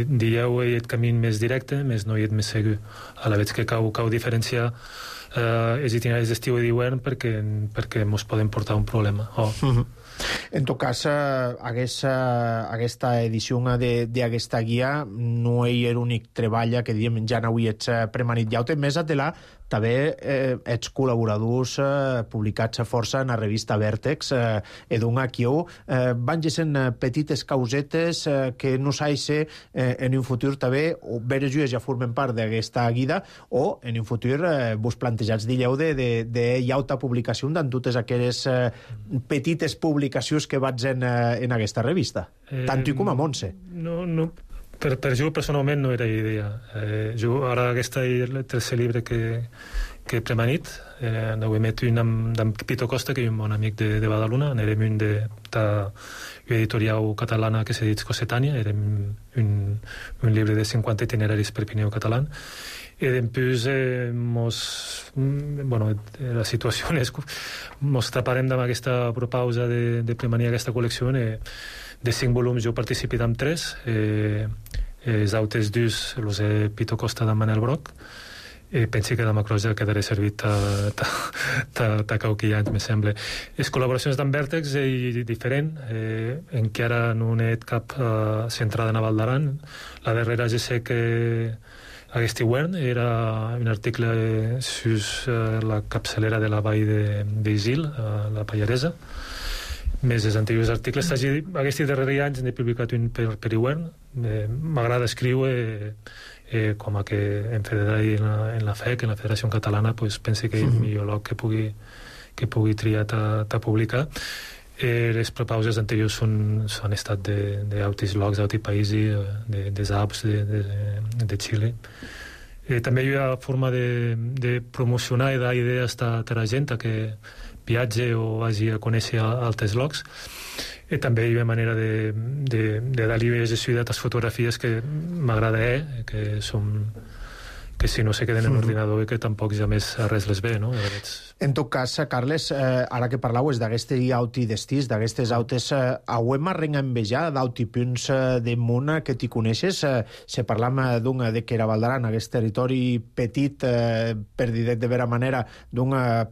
dieu el camí més directe, més no hi és més segur. A la vegada que cau diferenciar els itineraris d'estiu i d'hivern perquè ens poden portar un problema. En tot cas, aquesta edició d'aquesta guia no hi ha l'únic treball que diem ja n'avui ets premanit. Ja ho té més a telar també ets col·laboradors publicats a força en la revista Vèrtex edun aquí van sent petites causetes que no s'ha de ser en un futur també, o veres jues ja formen part d'aquesta guida, o en un futur vos plantejats dilleu de llauta publicació d'en totes aquelles petites publicacions que vaig en aquesta revista, tant i com a Montse. No, per jo personalment no era idea. Jo ara aquest és el tercer llibre que he premanit, n'ho he met un amb Pito Costa, que és un bon amic de Badalona, n'érem un editorial catalana que s'ha dit Cossetània, érem un llibre de 50 itineraris per Pirineu català, i després la situació és ens taparem amb aquesta propausa de premanir aquesta col·lecció. De 5 volums jo participit amb 3, els altres 2 els he Pito Costa de Manel Broc, i penso que demà croix ja quedaré servit a qualque anys, me sembla. Les col·laboracions d'en Vèrtex és diferent, en què ara no he cap centrada en Val d'Aran. La darrera ja sé que aquest hivern era un article sobre la capçalera de la vall d'Isil, la Pallaresa. Més els anteriors articles. Aquests darrers anys n'he publicat un per hivern. M'agrada escriure com a que en federal en la FEC, en la Federació Catalana, penso que és el millor lloc que pugui triar a publicar. Les propauses anteriors han estat d'altres llocs, d'altres països, dels Alps, de Xile. També hi ha forma de promocionar i dar idees a la gent que viatge o vagi a conèixer altres llocs. I també hi ha manera de dar-li gestió a les fotografies que m'agrada, que si no se queden en l'ordinador i que tampoc ja més res les ve, no? En tot cas, Carles, ara que parlaves d'aquestes auti destís, d'aquestes autes, hauem arrenga envejar d'auti punts de món que t'hi coneixes? Se parlam de que era Val d'Aran, aquest territori petit, per dir de vera manera,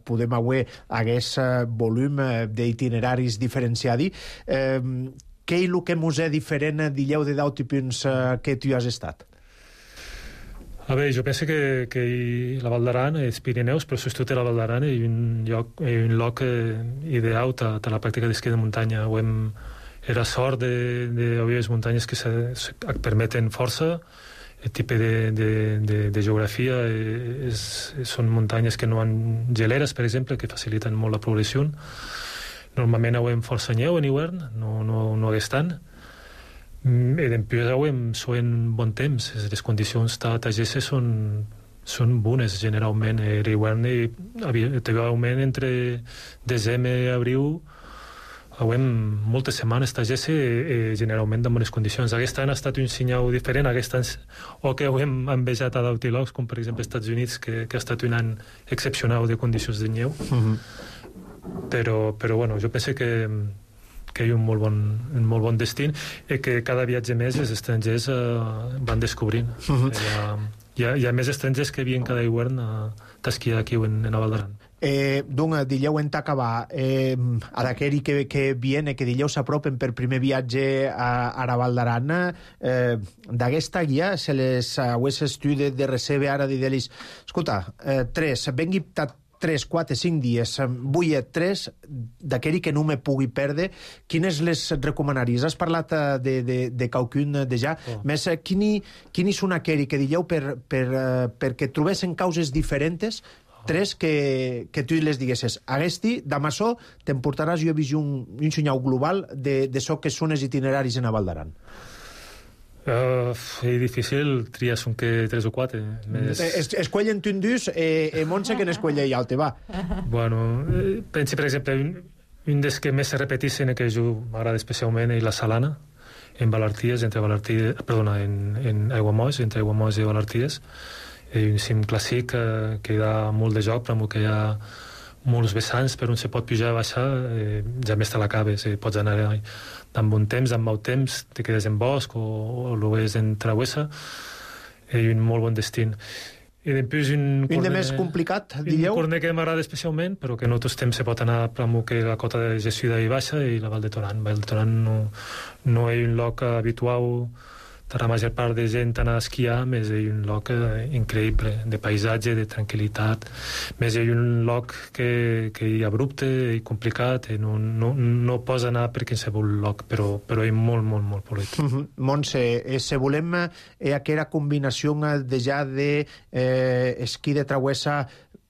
podem haver aquest volum d'itineraris diferenciadi. Què és el que mos és diferent, dilleu, d'auti punts que tu has estat? A veure, jo penso que la Val d'Aran, els Pirineus, però sobretot la Val d'Aran és un lloc ideal a la pràctica d'esquí de muntanya. Era sort d'haver les muntanyes que permeten força, el tipus de geografia són muntanyes que no han geleres, per exemple, que faciliten molt la progressió. Normalment hi ha força neu en hivern, no hagués tant. I després són bon temps, les condicions tagesses són bones generalment. L'hivern hi ha augment entre desembre i abril, hi moltes setmanes tagesses generalment en bones condicions. Aquest any ha estat un senyal diferent, aquest any o que hem envejat a d'altres llocs, com per exemple als Estats Units, que ha estat un any excepcional de condicions de neu. Però bueno, jo penso que hi ha un molt bon destí i que cada viatge més els estrangers van descobrint. Hi ha més estrangers que havien cada hivern d'esquiar aquí en la Val d'Aran. Doncs, dileu en acabar a d'aquell que viene, que dileu s'apropen per primer viatge a la Val d'Aran, d'aquesta guia se les hagués estudi de recebe ara d'Idelis. Escolta, 3, 4, 5 dies, vull 3 d'aquell que no me pugui perdre. Quines les recomanaries? Has parlat de qualcun ja. Més, quins són aquell que dieu perquè trobessin causes diferents, 3 que tu les diguessis. Aguesti, d'amassó, t'emportaràs, jo he vist un senyal global de so que són els itineraris en la Val d'Aran. És difícil triar són que 3 o 4. Escuellen un dus Montse que n'escuella i altre, va. Bueno, pensi, per exemple, un dels que més se repetissin que jo m'agrada especialment és la Salana, en Valarties, en Aiguamolls, entre Aiguamolls i Valarties. És un cim clàssic que dà molt de joc, però que hi ha molts vessants per on se pot pujar i baixar, ja més te l'acabes, pots anar amb bon temps, amb mau temps, te quedes en bosc o lo ves en travessa, és un molt bon destí. I després un de més complicat, dieu? Un corner que m'agrada especialment, però que en altres temps se pot anar per que la cota de Gessuda i baixa i la Val de Toran. Val de Toran no és un lloc habitual per la major part de gent anar a esquiar, més és un lloc increïble, de paisatge, de tranquil·litat, més és un lloc que és abrupte i complicat, i no pots anar per qualsevol lloc, però és molt, molt, molt polit. Montse, se volem aquella combinació de ja d'esquí de travessa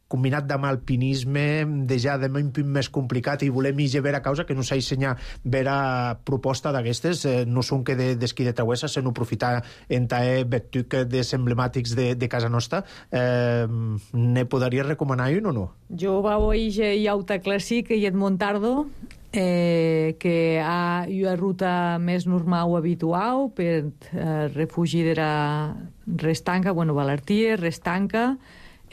combinat amb alpinisme, ja de un punt més complicat, i volem ir a veure causa que no s'ha ensenyat vera proposta d'aquestes, no són que d'esquí de travessa, sinó aprofitar en vetuc dels emblemàtics de casa nostra. Ne podries recomanar un o no? Jo vau i auta clàssic i et Montardo, que ha una ruta més normal o habitual per refugi de la Restanca, Valarties, Restanca,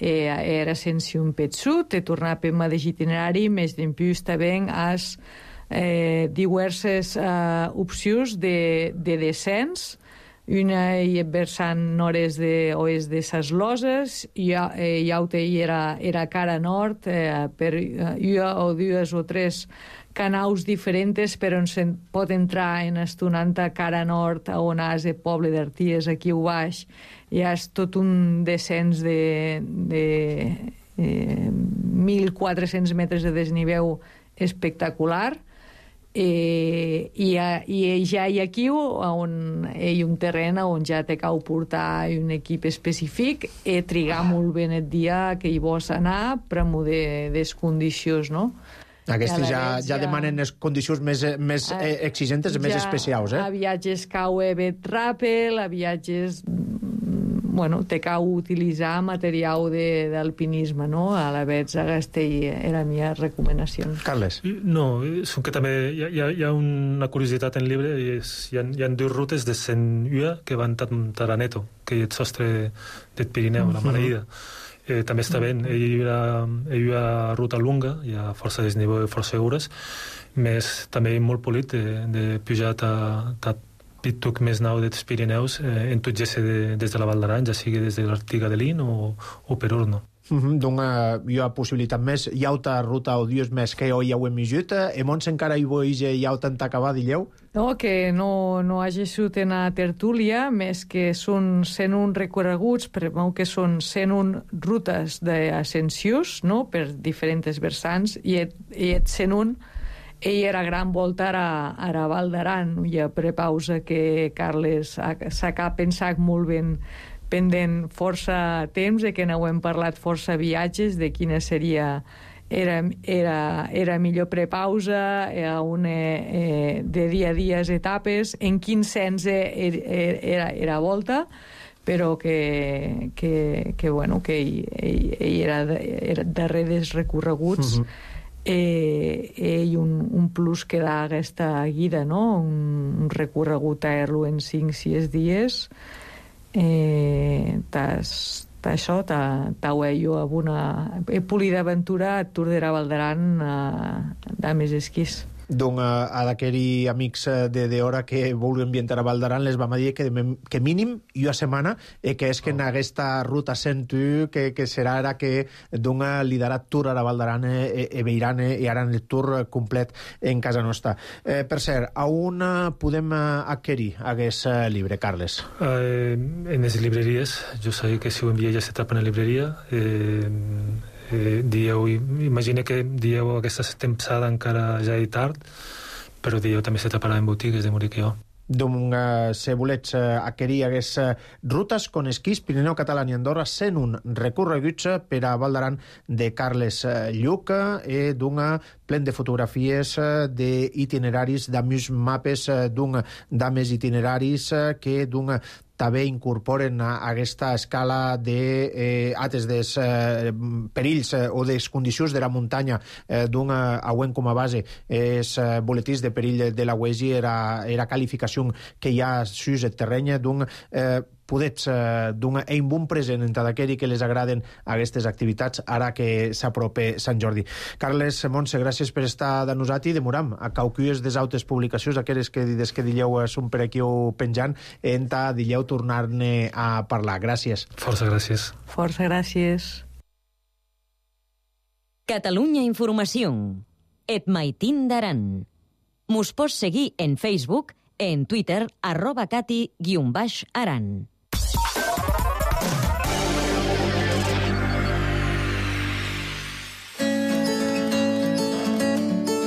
era sense un petsut, te tornar per mateix itinerari, més d'impuls també has diverses opcions de descens. Una hi versant nord oest de ses Loses, i altra era cara nord, per una o dues o tres canals diferents per on se pot entrar en estonanta cara nord, on has el poble d'Arties, aquí a baix, hi ha tot un descens de 1.400 metres de desnivell espectacular, i ja hi ha aquí on hi ha un terreny on ja te cal portar un equip específic i trigar molt bé el dia que hi vols anar, però amb les condicions, no? Aquestes ja demanen les condicions més exigentes, més especials, A viatges cau bet ràpel, a viatges... te cau utilitzar material d'alpinisme, no? A la vegada aquesta era la meva recomanació. Carles? No, són que també hi ha una curiositat en el llibre, hi ha 2 rutes de 101 que van Taraneto, que és el sostre del Pirineu, la Maleïda. També està bé, hi ha una ruta lunga, hi ha força desnivell i força segures, més també molt polit de pujar a pituc més nou dels Pirineus en tot ja des de la Val d'Aran, ja sigui des de l'Artiga de Lin o per Orno. Donc hi ha possibilitat més, hi ha altra ruta o dies més que ja ho hem vist, Mons encara hi vull hi ha tant acabar, dilleu? No, que no hagi sigut en la tertúlia, més que són 101 recorreguts, que són 101 rutes d'ascensions, no?, per diferents vessants, i et 101 era gran volta a la Val d'Aran. Hi ha prepausa que Carles s'ha pensat molt ben pendent força temps, que no hem parlat força viatges, de quina seria era millor prepausa, de dia a dia etapes, en quin sens era volta, però que ell era darrere dels recorreguts, i un plus que dà aquesta guida, no? Un recorregut a Erlo en 5-6 dies, això t'auello amb una polida aventura a Tour de la Val d'Aran de més esquís. Donc, a d'aquells amics d'hora que vulguin ambientar a Val d'Aran, les vam dir que mínim una setmana, que és que en aquesta ruta 101, que serà ara que liderat tour a Val d'Aran veiran i aran el tour complet en casa nostra. Per cert, a on podem adquirir aquest llibre, Carles? En les llibreries. Jo sé que si ho envia ja s'atrapa en la llibreria. Imagina que dieu aquesta temporada encara ja és tard, però dieu també s'atraparà en botigues de Moriquió. Donc, si volets adquirir aquestes rutes con esquís Pirineu Català i Andorra, 101 recorreguts per a Val d'Aran de Carles Lluc, plen de fotografies d'itineraris, d'amics mapes d'ames itineraris que també incorporen a aquesta escala d'altres perills o de condicions de la muntanya auent com a base els boletins de perill de la UESI era qualificació que hi ha sus el terreny podets donar un bon present entre d'aquells que les agraden aquestes activitats ara que s'apropa Sant Jordi. Carles Montse, gràcies per estar de nosaltres i demoram a caucues des altres publicacions, aquelles que des que dileu són per aquí o penjant, enta dileu tornar-ne a parlar. Gràcies. Força gràcies. Força gràcies. Catalunya Informació. Et Maitín d'Aran. Mos pots seguir en Facebook, en Twitter, @cati_aran.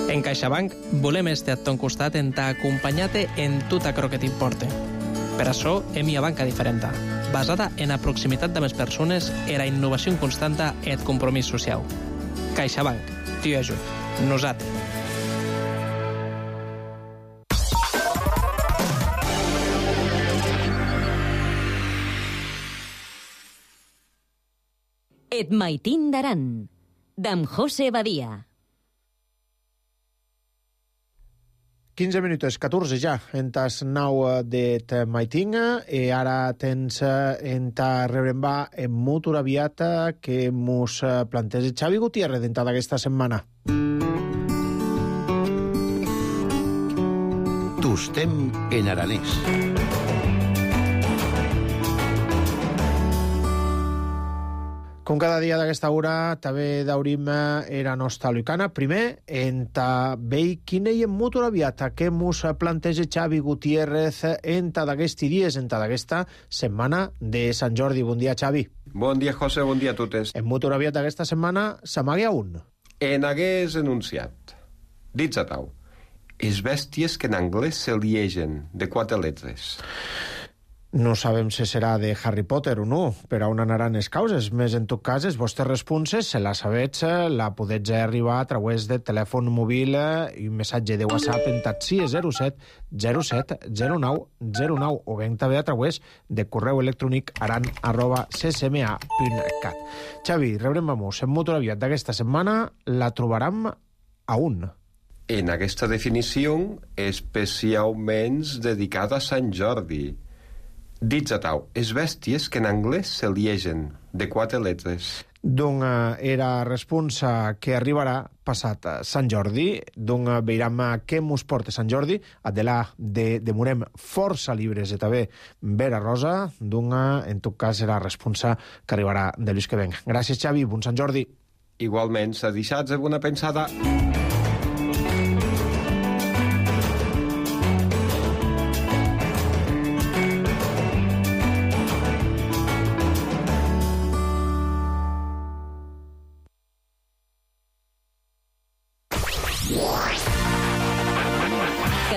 En CaixaBank volem estar a ton costat en t'acompanyar-te en tot aquello que t'importe. Per això hem una banca diferent, basada en la proximitat de les persones, en la innovació constanta i el compromís social. CaixaBank, t'hi ajuda. Nosaltres. Et Maitín d'Aran, d'en José Badia. 15 minuts, 14 ja, en tas 9 d'Et Maitín, i ara tens en ta rebrembar en molt aviat que mos planteja Xavi Gutiérrez d'entre d'aquesta setmana. Tostem en aranès. Com cada dia d'aquesta hora, també daurim era nostra lucana. Primer, enta vei quina hi ha molt aviat que mos planteja Xavi Gutiérrez enta d'aquesti dies, enta d'aquesta setmana de Sant Jordi. Bon dia, Xavi. Bon dia, José, bon dia a totes. En molt aviat d'aquesta setmana s'amaga un. En hagués enunciat. Dits a tau. Es bèsties que en anglès se liegen, de 4 lletres. No sabem si serà de Harry Potter o no, per on anaran les causes. Més en tot cas, les vostres responses, si la sabets, la podets arribar a través de telèfon mòbil i un missatge de WhatsApp en taxi 07 07 09 09 o ben també a través de correu electrònic aran@ccma.cat. Xavi, rebrem vamos. En molt aviat d'aquesta setmana la trobarem a un. En aquesta definició, especialment dedicada a Sant Jordi. Dits a tau, es bèsties que en anglès se liegen, de 4 lletres. Donc, era responsa que arribarà passat Sant Jordi. Donc, veurem què mos porta Sant Jordi. Adelà demorem força llibres i també Vera Rosa. Donc, en tot cas, serà responsa que arribarà de l'ús que venc. Gràcies, Xavi. Bon Sant Jordi. Igualment, s'ha deixat de bona pensada.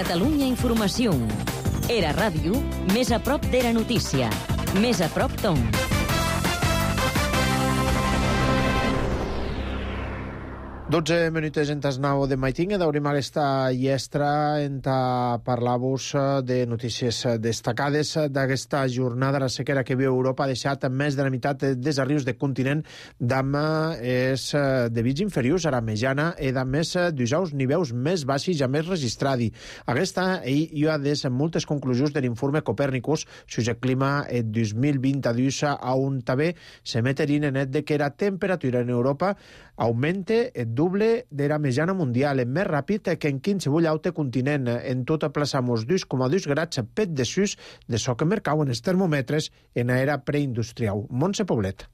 Catalunya Informació. Era ràdio més a prop d'era notícia. Més a prop ton. Dotze minuts en tas 9 de Maitín, d'obrim aquesta llestra en parlar-vos de notícies destacades d'aquesta jornada. La sequera que viu Europa ha deixat més de la meitat dels arrius del continent d'amb és de vits inferiors a la mitjana i de més d'usaus nivells més baixos ja més registrats. Aquesta hi ha des moltes conclusions de l'informe Copèrnicus sobre el clima 2022, on també se meterin en net de que la temperatura en Europa augmente doble de la mitjana mundial, més ràpid que en qualsevol altre continent. En tot aplaçamos 2,2 grads pet desús de so que mercauen els termòmetres en era preindustrial. Montse Poblet.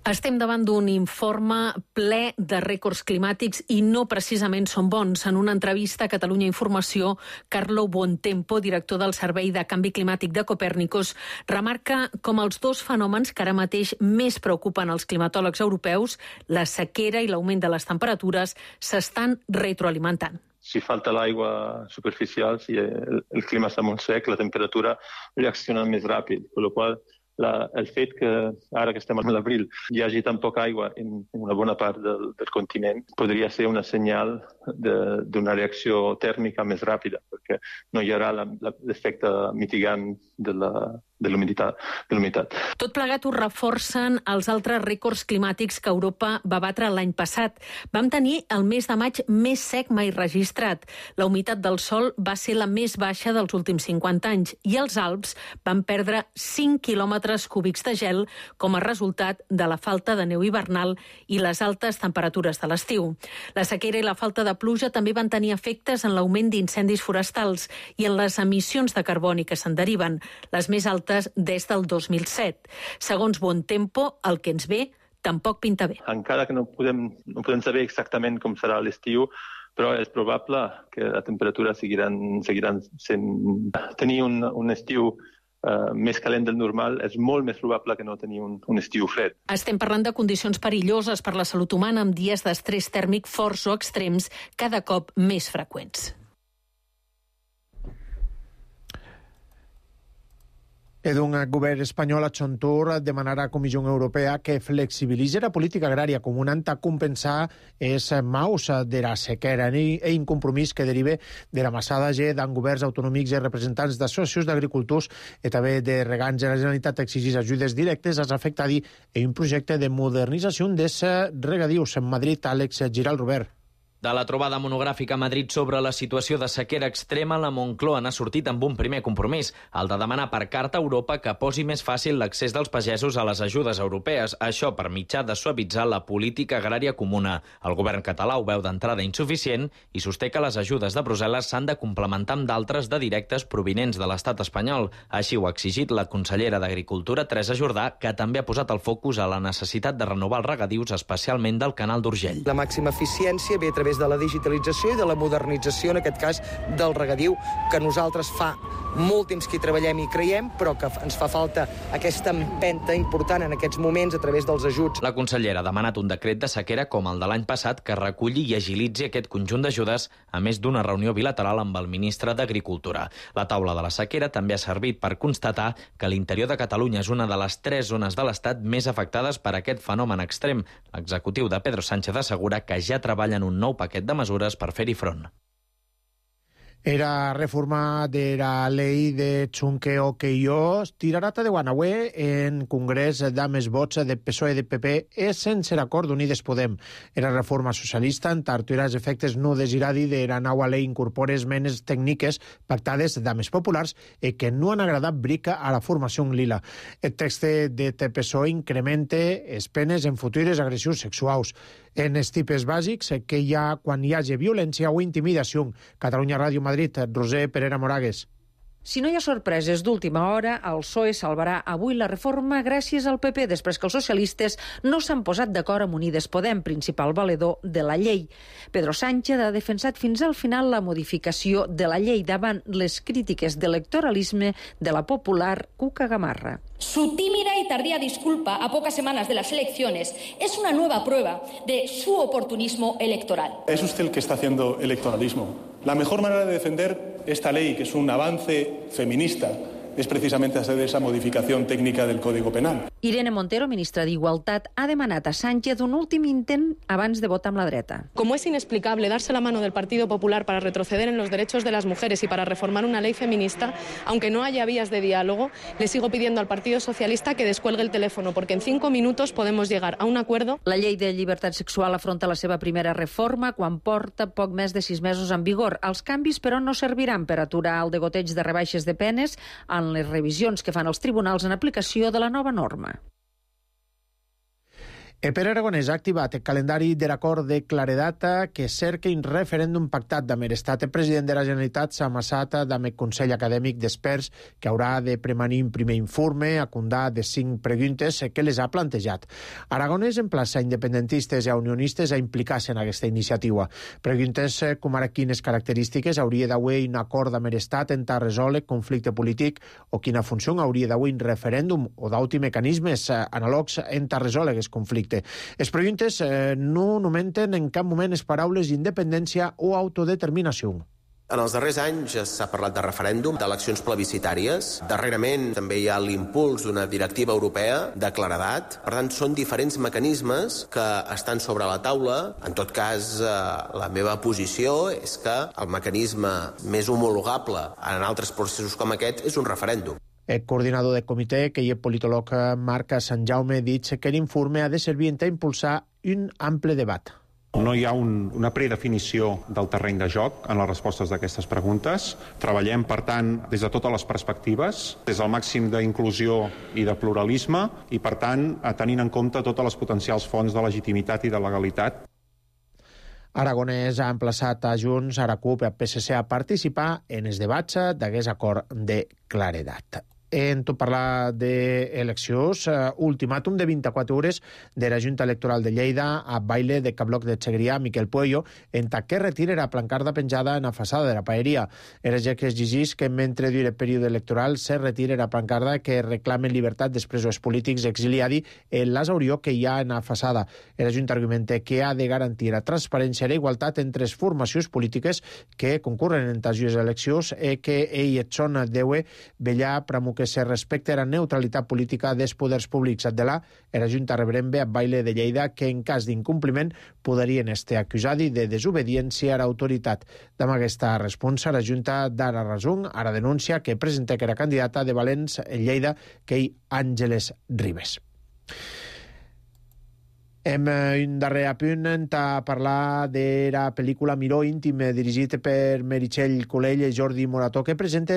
Estem davant d'un informe ple de rècords climàtics i no precisament són bons. En una entrevista a Catalunya Informació, Carlo Buontempo, director del Servei de Canvi Climàtic de Copèrnicus, remarca com els dos fenòmens que ara mateix més preocupen els climatòlegs europeus, la sequera i l'augment de les temperatures, s'estan retroalimentant. Si falta l'aigua superficial, si el clima està molt sec, la temperatura reacciona més ràpid, per la qual el fet que ara que estem a l'abril hi hagi tan poca aigua en una bona part del continent podria ser una senyal d'una reacció tèrmica més ràpida, perquè no hi haurà l'efecte mitigant de l'humitat. Tot plegat ho reforcen els altres rècords climàtics que Europa va batre l'any passat. Vam tenir el mes de maig més sec mai registrat. La humitat del sòl va ser la més baixa dels últims 50 anys i els Alps van perdre 5 quilòmetres cúbics de gel com a resultat de la falta de neu hivernal i les altes temperatures de l'estiu. La sequera i la falta de pluja també van tenir efectes en l'augment d'incendis forestals i en les emissions de carboni que se'n deriven, les més altes des del 2007. Segons Buontempo, el que ens ve tampoc pinta bé. Encara que no podem saber exactament com serà l'estiu, però és probable que la temperatura seguiran sent... Tenir un estiu més calent del normal és molt més probable que no tenir un estiu fred. Estem parlant de condicions perilloses per la salut humana amb dies d'estrès tèrmic forts o extrems cada cop més freqüents. Un govern espanyol a Chontur demanarà a la Comissió Europea que flexibilitzi la política agrària comunant a compensar els maus de la sequera i incompromís que deriva de la massada d'en governs autonòmics i representants d'associacions d'agricultors i també de regants de la Generalitat exigir ajudes directes als afectats en un projecte de modernització dels regadius. En Madrid, Àlex Giral Robert. De la trobada monogràfica a Madrid sobre la situació de sequera extrema, la Moncloa n'ha sortit amb un primer compromís, el de demanar per carta a Europa que posi més fàcil l'accés dels pagesos a les ajudes europees, això per mitjà de suavitzar la política agrària comuna. El govern català ho veu d'entrada insuficient i sosté que les ajudes de Brussel·les s'han de complementar amb d'altres de directes provinents de l'estat espanyol. Així ho ha exigit la consellera d'Agricultura, Teresa Jordà, que també ha posat el focus a la necessitat de renovar els regadius, especialment del canal d'Urgell. La màxima eficiència ve a través de la digitalització i de la modernització, en aquest cas, del regadiu, que nosaltres fa molt temps que hi treballem i creiem, però que ens fa falta aquesta empenta important en aquests moments a través dels ajuts. La consellera ha demanat un decret de sequera com el de l'any passat que reculli i agilitzi aquest conjunt d'ajudes, a més d'una reunió bilateral amb el ministre d'Agricultura. La taula de la sequera també ha servit per constatar que l'interior de Catalunya és una de les 3 zones de l'Estat més afectades per aquest fenomen extrem. L'executiu de Pedro Sánchez assegura que ja treballa en un nou paquet de mesures per fer-hi front. Era reforma de la llei de Chunqueo que jo tirarata de Guanaué en Congrés d'Ames vots de PSOE i de PP és sense l'acord d'Unides Podem. Era reforma socialista en tartura els efectes no desiradi de la nova llei incorpora esmenes tècniques pactades d'Ames populars i que no han agradat brica a la formació en lila. El text de PSOE incrementa les penes en futures agressions sexuals en els tipus bàsics que hi ha quan hi hagi violència o intimidació. Catalunya Ràdio Madrid, Roser Perera Moragues. Si no hi ha sorpreses d'última hora, el PSOE salvarà avui la reforma gràcies al PP, després que els socialistes no s'han posat d'acord amb Unides Podem, principal valedor de la llei. Pedro Sánchez ha defensat fins al final la modificació de la llei davant les crítiques d'electoralisme de la popular Cuca Gamarra. Su tímida y tardía disculpa a pocas semanas de las elecciones es una nueva prueba de su oportunismo electoral. Es usted el que está haciendo electoralismo. La mejor manera de defender esta ley, que es un avance feminista, és precisamente hacer esa modificación técnica del Código Penal. Irene Montero, ministra d'Igualtat, ha demanat a Sánchez un últim intent abans de votar amb la dreta. Como es inexplicable darse la mano del Partido Popular para retroceder en los derechos de las mujeres y para reformar una ley feminista, aunque no haya vías de diálogo, le sigo pidiendo al Partido Socialista que descuelgue el teléfono, porque en 5 minutos podemos llegar a un acuerdo. La llei de llibertat sexual afronta la seva primera reforma quan porta poc més de 6 mesos en vigor. Els canvis, però, no serviran per aturar el degoteig de rebaixes de penes en les revisions que fan els tribunals en aplicació de la nova norma. Pere Aragonès ha activat el calendari de l'acord de claredat que cerca un referèndum pactat amb l'Estat. El president de la Generalitat s'ha amassat amb el Consell Acadèmic d'Experts que haurà de premanir un primer informe a condar de 5 preguntes que les ha plantejat. Aragonès emplaça independentistes i unionistes a implicar-se en aquesta iniciativa. Preguntes com ara quines característiques hauria d'haver un acord amb l'Estat en resoldre conflicte polític o quina funció hauria d'haver un referèndum o d'altres mecanismes anàlogs en resoldre aquest conflicte. Les preguntes no nomenten en cap moment les paraules independència o autodeterminació. En els darrers anys s'ha parlat de referèndum, d'eleccions plebiscitàries. Darrerament també hi ha l'impuls d'una directiva europea de claredat. Per tant, són diferents mecanismes que estan sobre la taula. En tot cas, la meva posició és que el mecanisme més homologable en altres processos com aquest és un referèndum. El coordinador del comitè, que hi és politòleg Marc Sant Jaume, ha dit que l'informe ha de servir a impulsar un ample debat. No hi ha una predefinició del terreny de joc en les respostes d'aquestes preguntes. Treballem, per tant, des de totes les perspectives, des del màxim d'inclusió i de pluralisme i, per tant, tenint en compte totes les potencials fonts de legitimitat i de legalitat. Aragonès ha emplaçat a Junts, a la CUP i a PSC a participar en els debats d'aquest acord de claredat. En tot parlar d'eleccions, ultimàtum de 24 hores de la Junta Electoral de Lleida a baile de Cabloc de Segrià, Miquel Puello, en que retira la plancarda penjada en la façada de la paeria. Era ja que es llegís que mentre dure el període electoral se retira la plancarda que reclamen llibertat dels presos polítics exiliadi en l'asaurió que hi ha en la façada. La Junta argumenta que ha de garantir la transparència i la igualtat entre les formacions polítiques que concurren en les eleccions i que ell són deue vetllar per que se respecte la neutralitat política dels poders públics. De la Junta rebrembe a baile de Lleida que en cas d'incompliment podrien estar acusats de desobediència a l'autoritat. Amb aquesta responsa, la Junta d'ara resum, ara denuncia que presenta que era candidata de Valens en Lleida que hi Àngeles Ribes. Un darrer apunt a parlar de la pel·lícula Miró íntim dirigit per Meritxell Colell i Jordi Morató, que presenta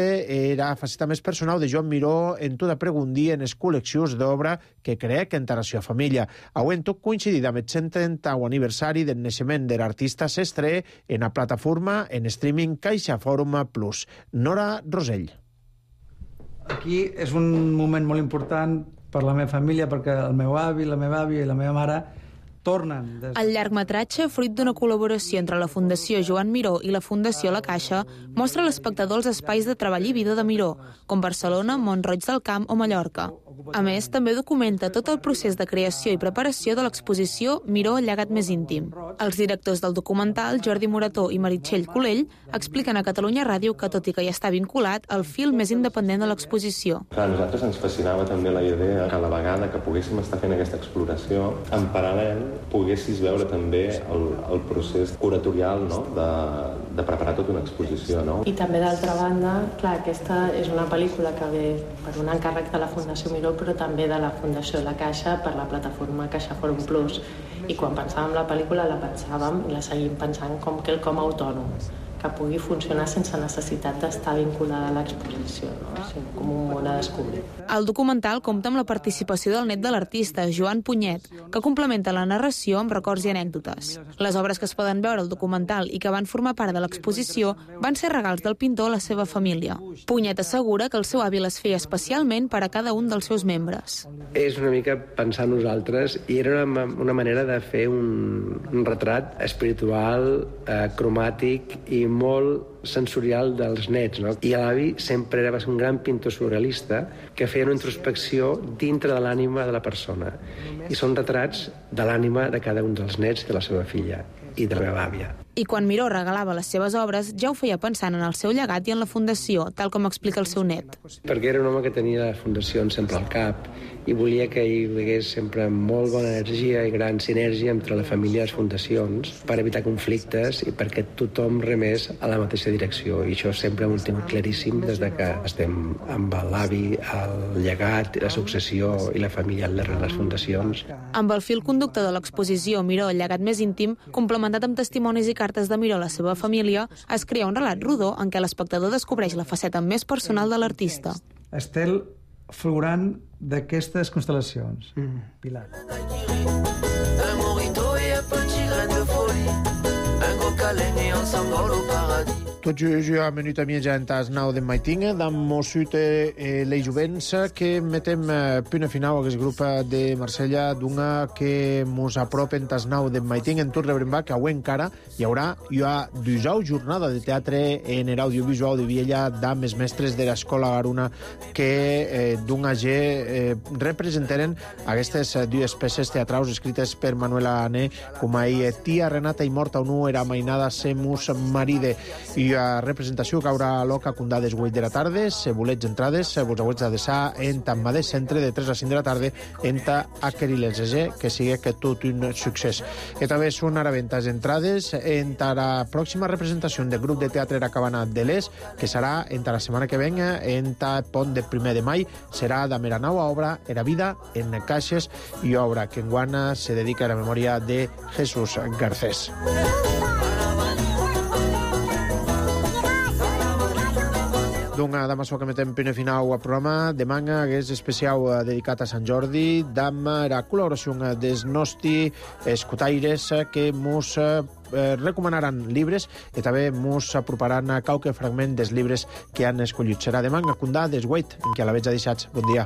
la faceta més personal de Joan Miró en tota pregundia en les col·leccions d'obra que crec en la seva família. Avui tot coincidit amb el 130 aniversari del naixement de l'artista s'estreia en la plataforma en streaming Caixa Fòrum Plus. Nora Rosell. Aquí és un moment molt important per la meva família, perquè el meu avi, la meva àvia i la meva mare tornen. El llargmetratge, fruit d'una col·laboració entre la Fundació Joan Miró i la Fundació La Caixa, mostra a l'espectador els espais de treball i vida de Miró, com Barcelona, Mont-roig del Camp o Mallorca. A més, també documenta tot el procés de creació i preparació de l'exposició Miró, el llegat més íntim. Els directors del documental, Jordi Morató i Meritxell Colell, expliquen a Catalunya Ràdio que, tot i que ja està vinculat, el fil més independent de l'exposició. A nosaltres ens fascinava també la idea que a la vegada que poguéssim estar fent aquesta exploració, en paral·lel poguessis veure també el procés curatorial, no? de preparar tota una exposició. No? I també, d'altra banda, clar, aquesta és una pel·lícula que ve per un encàrrec de la Fundació Miró, però també de la Fundació La Caixa per la plataforma Caixa Fòrum Plus. I quan pensàvem la pel·lícula la pensàvem i la seguim pensant com quelcom autònom, que pugui funcionar sense necessitat d'estar vinculada a l'exposició, no? Sinó com un món a descobrir. El documental compta amb la participació del net de l'artista, Joan Punyet, que complementa la narració amb records i anècdotes. Les obres que es poden veure al documental i que van formar part de l'exposició van ser regals del pintor a la seva família. Punyet assegura que el seu avi les feia especialment per a cada un dels seus membres. És una mica pensar en nosaltres i era una manera de fer un retrat espiritual, cromàtic i molt sensorial dels nets, no? I l'avi sempre va ser un gran pintor surrealista que feia una introspecció dintre de l'ànima de la persona. I són retrats de l'ànima de cada un dels nets de la seva filla i de la meva àvia. I quan Miró regalava les seves obres, ja ho feia pensant en el seu llegat i en la fundació, tal com explica el seu net. Perquè era un home que tenia la fundació sempre al cap i volia que hi hagués sempre molt bona energia i gran sinergia entre la família i les fundacions per evitar conflictes i perquè tothom remés a la mateixa direcció. I això sempre ho hem tingut claríssim des de que estem amb l'avi, el llegat, la successió i la família al darrere de les fundacions. Amb el fil conductor de l'exposició Miró, el llegat més íntim, complementat amb testimonis i cartes de Miró a la seva família, es crea un relat rodó en què l'espectador descobreix la faceta més personal de l'artista. Estel fulgurant d'aquestes constel·lacions. Pilar. Un morito et un petit grain de folie, un gros câlin et on s'envole au paradis. Tot jo a minuta mia en tas nau de maitinga, dam mosute les jovents que metem puna final a aquest grup de Marsella d'una que mos apropen tas nau de maitinga en tot rebrembar que avui encara hi haurà dijous jornada de teatre en l'audiovisual de Viella d'ams mestres de l'escola Garuna que d'una representaren aquestes dues peces teatrals escrites per Manuela Ané com a Tia Renata i Morta o no era mainada semus maride i a representació que haurà loca condà des 8 de la tarda. Si volets entrades, vos hauets d'adreçar en Tammadès Centre de 3 a 5 de la tarda en Aqueriles, que sigui que tot un succés. I també són ara ventes entrades en la pròxima representació del grup de teatre La Cabana de l'Est, que serà en la setmana que venga en pont de 1 de maig. Serà de mera nova obra, Era vida en caixes, i obra que enguana se dedica a la memòria de Jesús Garcés. D'una dama que metem primer final al programa de manga que és especial dedicat a Sant Jordi d'am la col·laboració dels nostres escotaires que mos recomanaran llibres i també mos aproparan a qualque fragment dels llibres que han escollit. Serà de manga condà des 8 en què a la veig deixats. Bon dia.